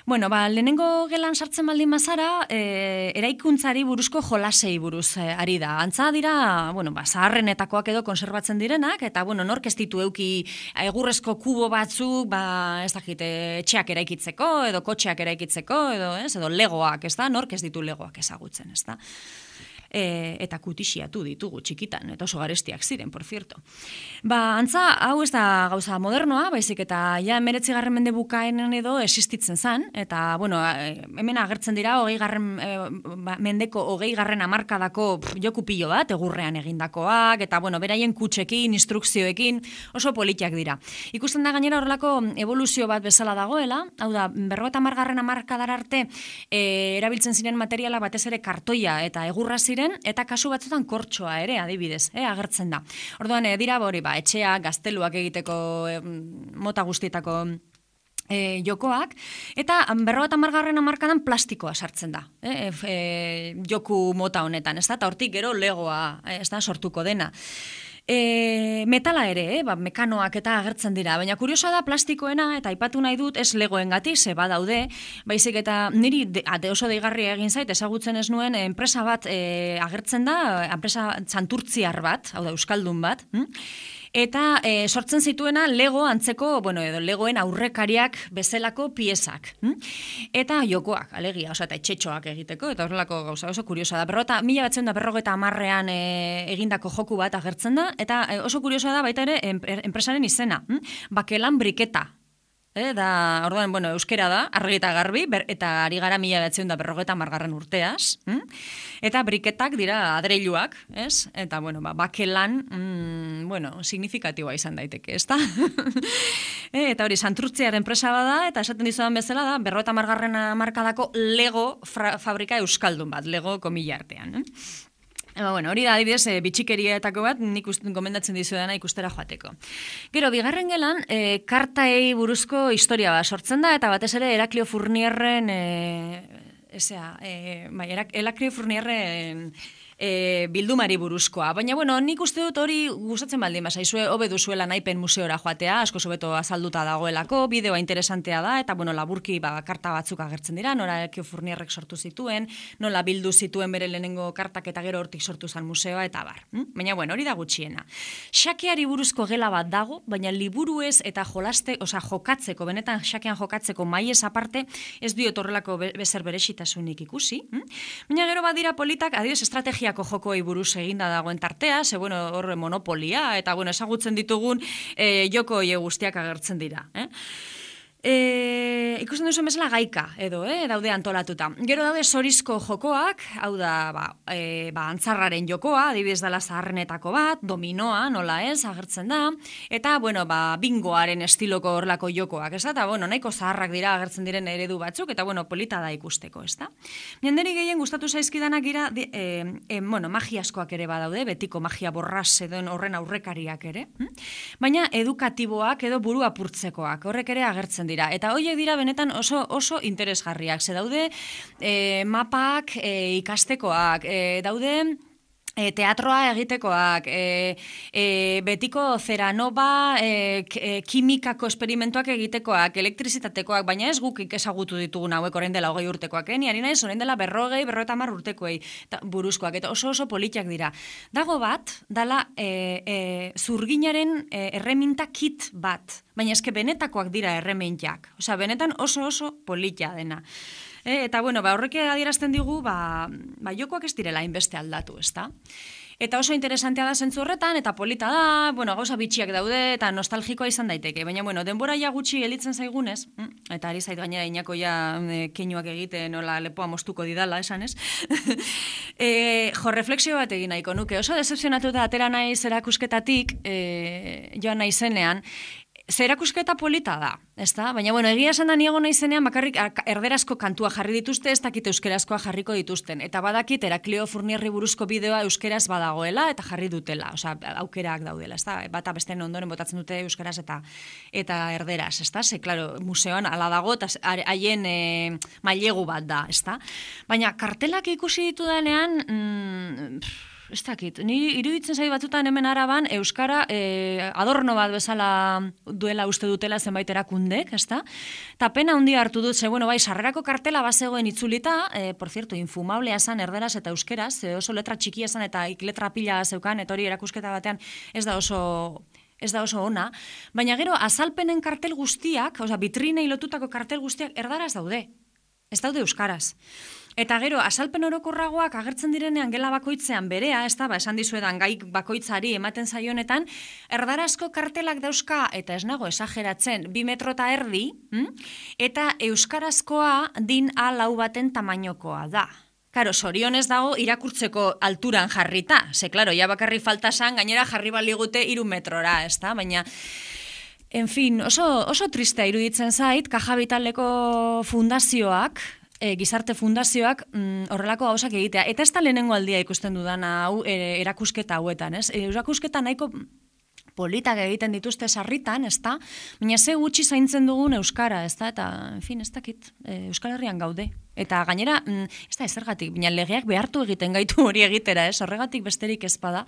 Bueno, lehenengo gelan sartzen baldin bazara, eraikuntzari buruzko jolasei buruz ari da. Antza dira, bueno, zaharrenetakoak edo konserbatzen direnak, eta, bueno, nork ez ditu euki egurrezko kubo batzuk, ez dakit, etxeak eraikitzeko, edo kotxeak eraikitzeko, edo legoak, ez da? Nork ez ditu legoak ezagutzen, ez da? Eta kutixiatu ditugu txikitan, eta oso garestiak ziren, por cierto. Antza, hau ez da gauza modernoa, baizik eta ja 19. mende bukaenan edo existitzen zan, eta, bueno, hemen agertzen dira 20. Mendeko 20. hamarkadako joku pilo bat, egurrean egindakoak, eta, bueno, beraien kutxekin, instrukzioekin, oso politiak dira. Ikusten da gainera horrelako evoluzio bat bezala dagoela, hau da, 50. hamarkadar arte erabiltzen ziren materiala batez ere kartoia eta egurra eta kasu batzutan kortxoa ere, adibidez, agertzen da. Orduan, dira hori, etxeak, gazteluak egiteko mota guztietako jokoak, eta 50. hamarkadan plastikoa sartzen da, joku mota honetan, ez da, eta hortik gero legoa, ez da, sortuko dena. Metala ere, mekanoak eta agertzen dira, baina kuriosoa da plastikoena, eta aipatu nahi dut, ez legoengatik, ze badaude, baizik eta niri oso deigarria egin zait, ezagutzen ez nuen, enpresa bat agertzen da, enpresa santurtziar bat, hau da, euskaldun bat, eta sortzen zituena Lego antzeko, bueno, edo Legoen aurrekariak bezalako piezak. Eta jokoak, alegia, eta etxetxoak egiteko, eta horrelako gauza oso kuriosa da. 1950 egindako joku bat agertzen da, eta oso kuriosa da baita ere enpresaren izena. Bakelan briketa. Orduan, bueno, euskera da, argi eta garbi, eta ari gara 1950 urteaz. Eta briketak dira adreiluak, ez? Eta, bueno, bakelan, bueno, signifikatiboa izan daiteke, ez da? Eta hori, santurtziar enpresa bada, eta esaten dizudan bezala da, 50. hamarkadako Lego fabrika euskaldun bat, Lego komila artean. Bueno, hori da, adibidez, bitxikerietako bat, nik gomendatzen dizuedana ikustera joateko. Gero, bigarren gelan, kartaei buruzko historia bat sortzen da, eta batez ere Heraklio Fournierren, Heraklio Fournierren bildumari buruzkoa. Baina, bueno, nik uste dut hori gustatzen baldin bazaizue, hobe duzuela naipen museora joatea, asko sobeto azalduta dagoelako, bideoa interesantea da, eta, bueno, laburki karta batzuk agertzen dira, nola Heraklio Fournierrek sortu zituen, nola bildu zituen bere lehenengo kartak eta gero hortik sortu zen museoa, eta bar. Baina, bueno, hori da gutxiena. Xakeari buruzko gela bat dago, baina liburuez eta jokatzeko, benetan xakean jokatzeko maiez aparte, ez diot horrelako bezer berexitasunik ikusi. Baina gero badira politak, adibidez, estrategia jokoei buruz eginda dagoen tartea, ze, bueno, horre monopolia, eta, bueno, ezagutzen ditugun joko guztiak agertzen dira. Ikusten duzen bezala gaika, edo, daude antolatuta. Gero daude zorizko jokoak, hau da, antzarraren jokoa, adibidez dela zaharrenetako bat, dominoa, nola ez, agertzen da, eta, bueno, bingoaren estiloko horlako jokoak, ez da, eta, bueno, nahiko zaharrak dira agertzen diren eredu batzuk, eta, bueno, polita da ikusteko, ez da. Jenderi gehien gustatu zaizkidanak gira, bueno, magiaskoak ere badaude, betiko magia borraz edo horren aurrekariak ere, baina edukatiboak edo buru apurtzekoak, horrek ere agertzen dira. Eta horiek dira benetan oso interesgarriak. Ze daude mapak ikastekoak, daude teatroa egitekoak, betiko zeranova, kimikako esperimentuak egitekoak, elektrizitatekoak, baina ez guk ezagutu ditugun hauek orain dela 20 urtekoak, ni ari naiz orain dela 50 urtekoei buruzkoak, eta oso politiak dira. Dago bat, dala zurginaren erreminta kit bat, baina eske benetakoak dira erremintak, osea, benetan oso politia dena. Eta, bueno, horrek adierazten digu, jokoak ez direla hainbeste aldatu, ezta? Eta oso interesantea da zentzu horretan, eta polita da, bueno, gauza bitxiak daude, eta nostalgikoa izan daiteke. Baina, bueno, denbora ja gutxi gelditzen zaigunez, eta ari zait gainera inako ja keinuak egiten, nola lepoa moztuko didala, esan ez? Refleksio bat egin nahiko nuke. Oso decepzionatuta atera naiz erakusketatik, joan naizenean, Zerakusketa polita da, ezta? Baina, bueno, egia esan da niego naizenean bakarrik erderazko kantua jarri dituzte, ez dakit euskerazkoa jarriko dituzten. Eta badakit, Heraklio Furnierri buruzko bideoa euskeraz badagoela eta jarri dutela, osea, aukerak daudela, ezta? Bata besteen ondoren botatzen dute euskeraz eta erderaz, ezta? Ze, claro, museoan ala dago eta haien mailegu bat da, ezta? Baina, kartelak ikusi ditudanean, ez dakit, ni iruditzen zait batzutan hemen Araban euskara adorno bat bezala duela uste dutela zenbait erakundek, ezta? Ta pena handia hartu dut, ze bueno, bai, sarrerako kartela bazegoen itzulita, por cierto, infumablea esan erderaz eta euskeraz, oso letra txikia esan eta letra pila zeukan, eta hori erakusketa batean ez da oso ona, baina gero azalpenen kartel guztiak, osea, vitrinei lotutako kartel guztiak erdaraz daude. Ez daude euskaraz. Eta gero, azalpen orokorragoak agertzen direnean gela bakoitzean berea, ez da, esan dizuedan gai bakoitzari ematen zaionetan, erdarazko kartelak dauzka, eta ez nago esageratzen, 2 metro eta erdi, eta euskarazkoa din A4 baten tamainokoa da. Karo, sorionez dago irakurtzeko alturan jarrita. Ze, klaro, ja bakarri falta san, gainera jarri baligute 3 metrora, ez da, baina... En fin, oso tristea iruditzen zait, Caja Vitaleko fundazioak, gizarte fundazioak horrelako gauzak egitea. Eta ez da lehenengo aldia ikusten dudana hau erakusketa hauetan, ez? Erakusketa nahiko politak egiten dituzte sarritan, ez da? Baina ze gutxi zaintzen dugun euskara, ez da? Eta, en fin, ez dakit, Euskal Herrian gaude. Eta gainera, ez da ezergatik, baina legeak behartu egiten gaitu hori egitera, ez? Horregatik besterik ez bada.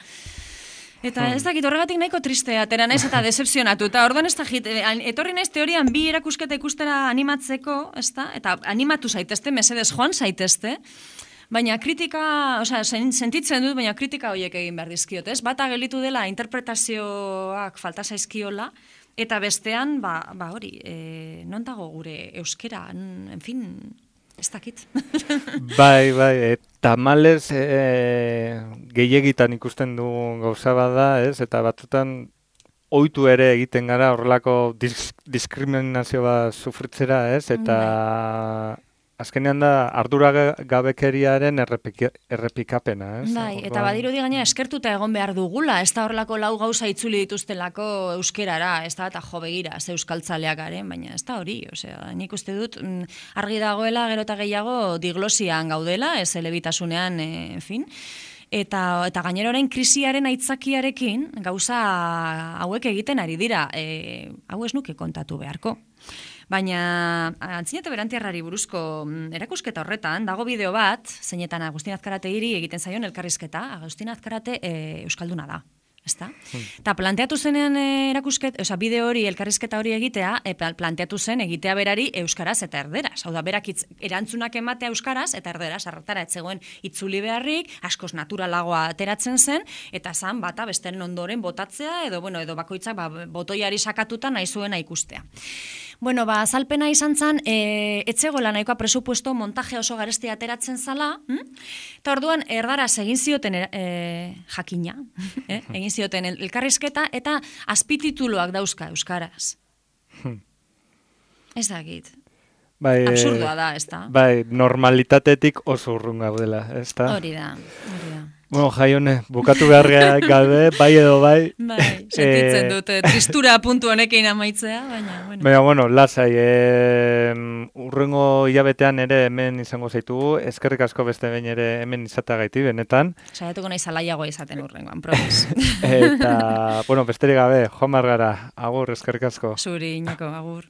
Eta ez dakit, horregatik nahiko tristea, atera naiz eta decepzionatu. Eta orduan ez dakit, etorri naiz teorian 2 erakusketa ikustera animatzeko, ez da? Eta animatu zaitezte, mesedez joan zaitezte, baina kritika, osea, sentitzen dut, baina kritika horiek egin behar dizkiot, ez? Bata gelitu dela interpretazioak falta zaizkiola, eta bestean, hori, non dago gure euskera, en fin... Ez dakit. Bai, tamalez gehiegitan ikusten dugun gauza bada, ez? Eta batzutan ohitu ere egiten gara horrelako diskriminazio bat sufritzera, ez? Eta azkenean da arduragabekeriaren errepikapena, ez? Bai, eta badirudi gaina eskertuta egon behar dugula, ez da horrelako 4 gauza itzuli dituztelako euskerara, ez da, eta jo begira, ze euskaltzaleak garen, baina ez da hori, osea, nik uste dut argi dagoela gero eta gehiago diglosian gaudela, ez elebitasunean, en fin, eta gainera orain krisiaren aitzakiarekin gauza hauek egiten ari dira, hau ez nuke kontatu beharko. Baina Antzinete Berantiarrari buruzko erakusketa horretan, dago bideo bat, zeinetan Agustin Azkarategiri egiten zaion elkarrizketa, Agustin Azkarate euskalduna da. Ezta? Eta planteatu zenean bideo hori, elkarrizketa hori egitea, planteatu zen egitea berari euskaraz eta erderaz. Hau da, berak erantzunak ematea euskaraz eta erderaz, hartara etzegoen itzuli beharrik, askoz naturalagoa ateratzen zen, eta zan bata besteren ondoren botatzea, edo bakoitzak botoiari sakatuta nahi zuena ikustea. Bueno, azalpena izan zen, etzegoela nahikoa presupuesto montaje oso garestia ateratzen zala, eta orduan erdaraz egin zioten jakina, egin zioten elkarrizketa, eta azpitituluak dauzka euskaraz. Ez dakit. Absurdoa da, ez da? Bai, normalitatetik oso urrun gaudela, ez da? Hori da. Bueno, Jaione, bukatu behar gabe, bai edo bai. Bai, sentitzen dut, tristura puntu honekin amaitzea, baina, bueno. Baina, bueno, lasai, urrengo hilabetean ere hemen izango zaitugu, eskerrik asko beste behin ere hemen izateagaiti, benetan. Saiatuko nahi zalaiagoa izaten urrengoan, probez. Eta, bueno, besterik gabe, joan margara, agur, eskerrik asko. Zuri, Iñako, agur.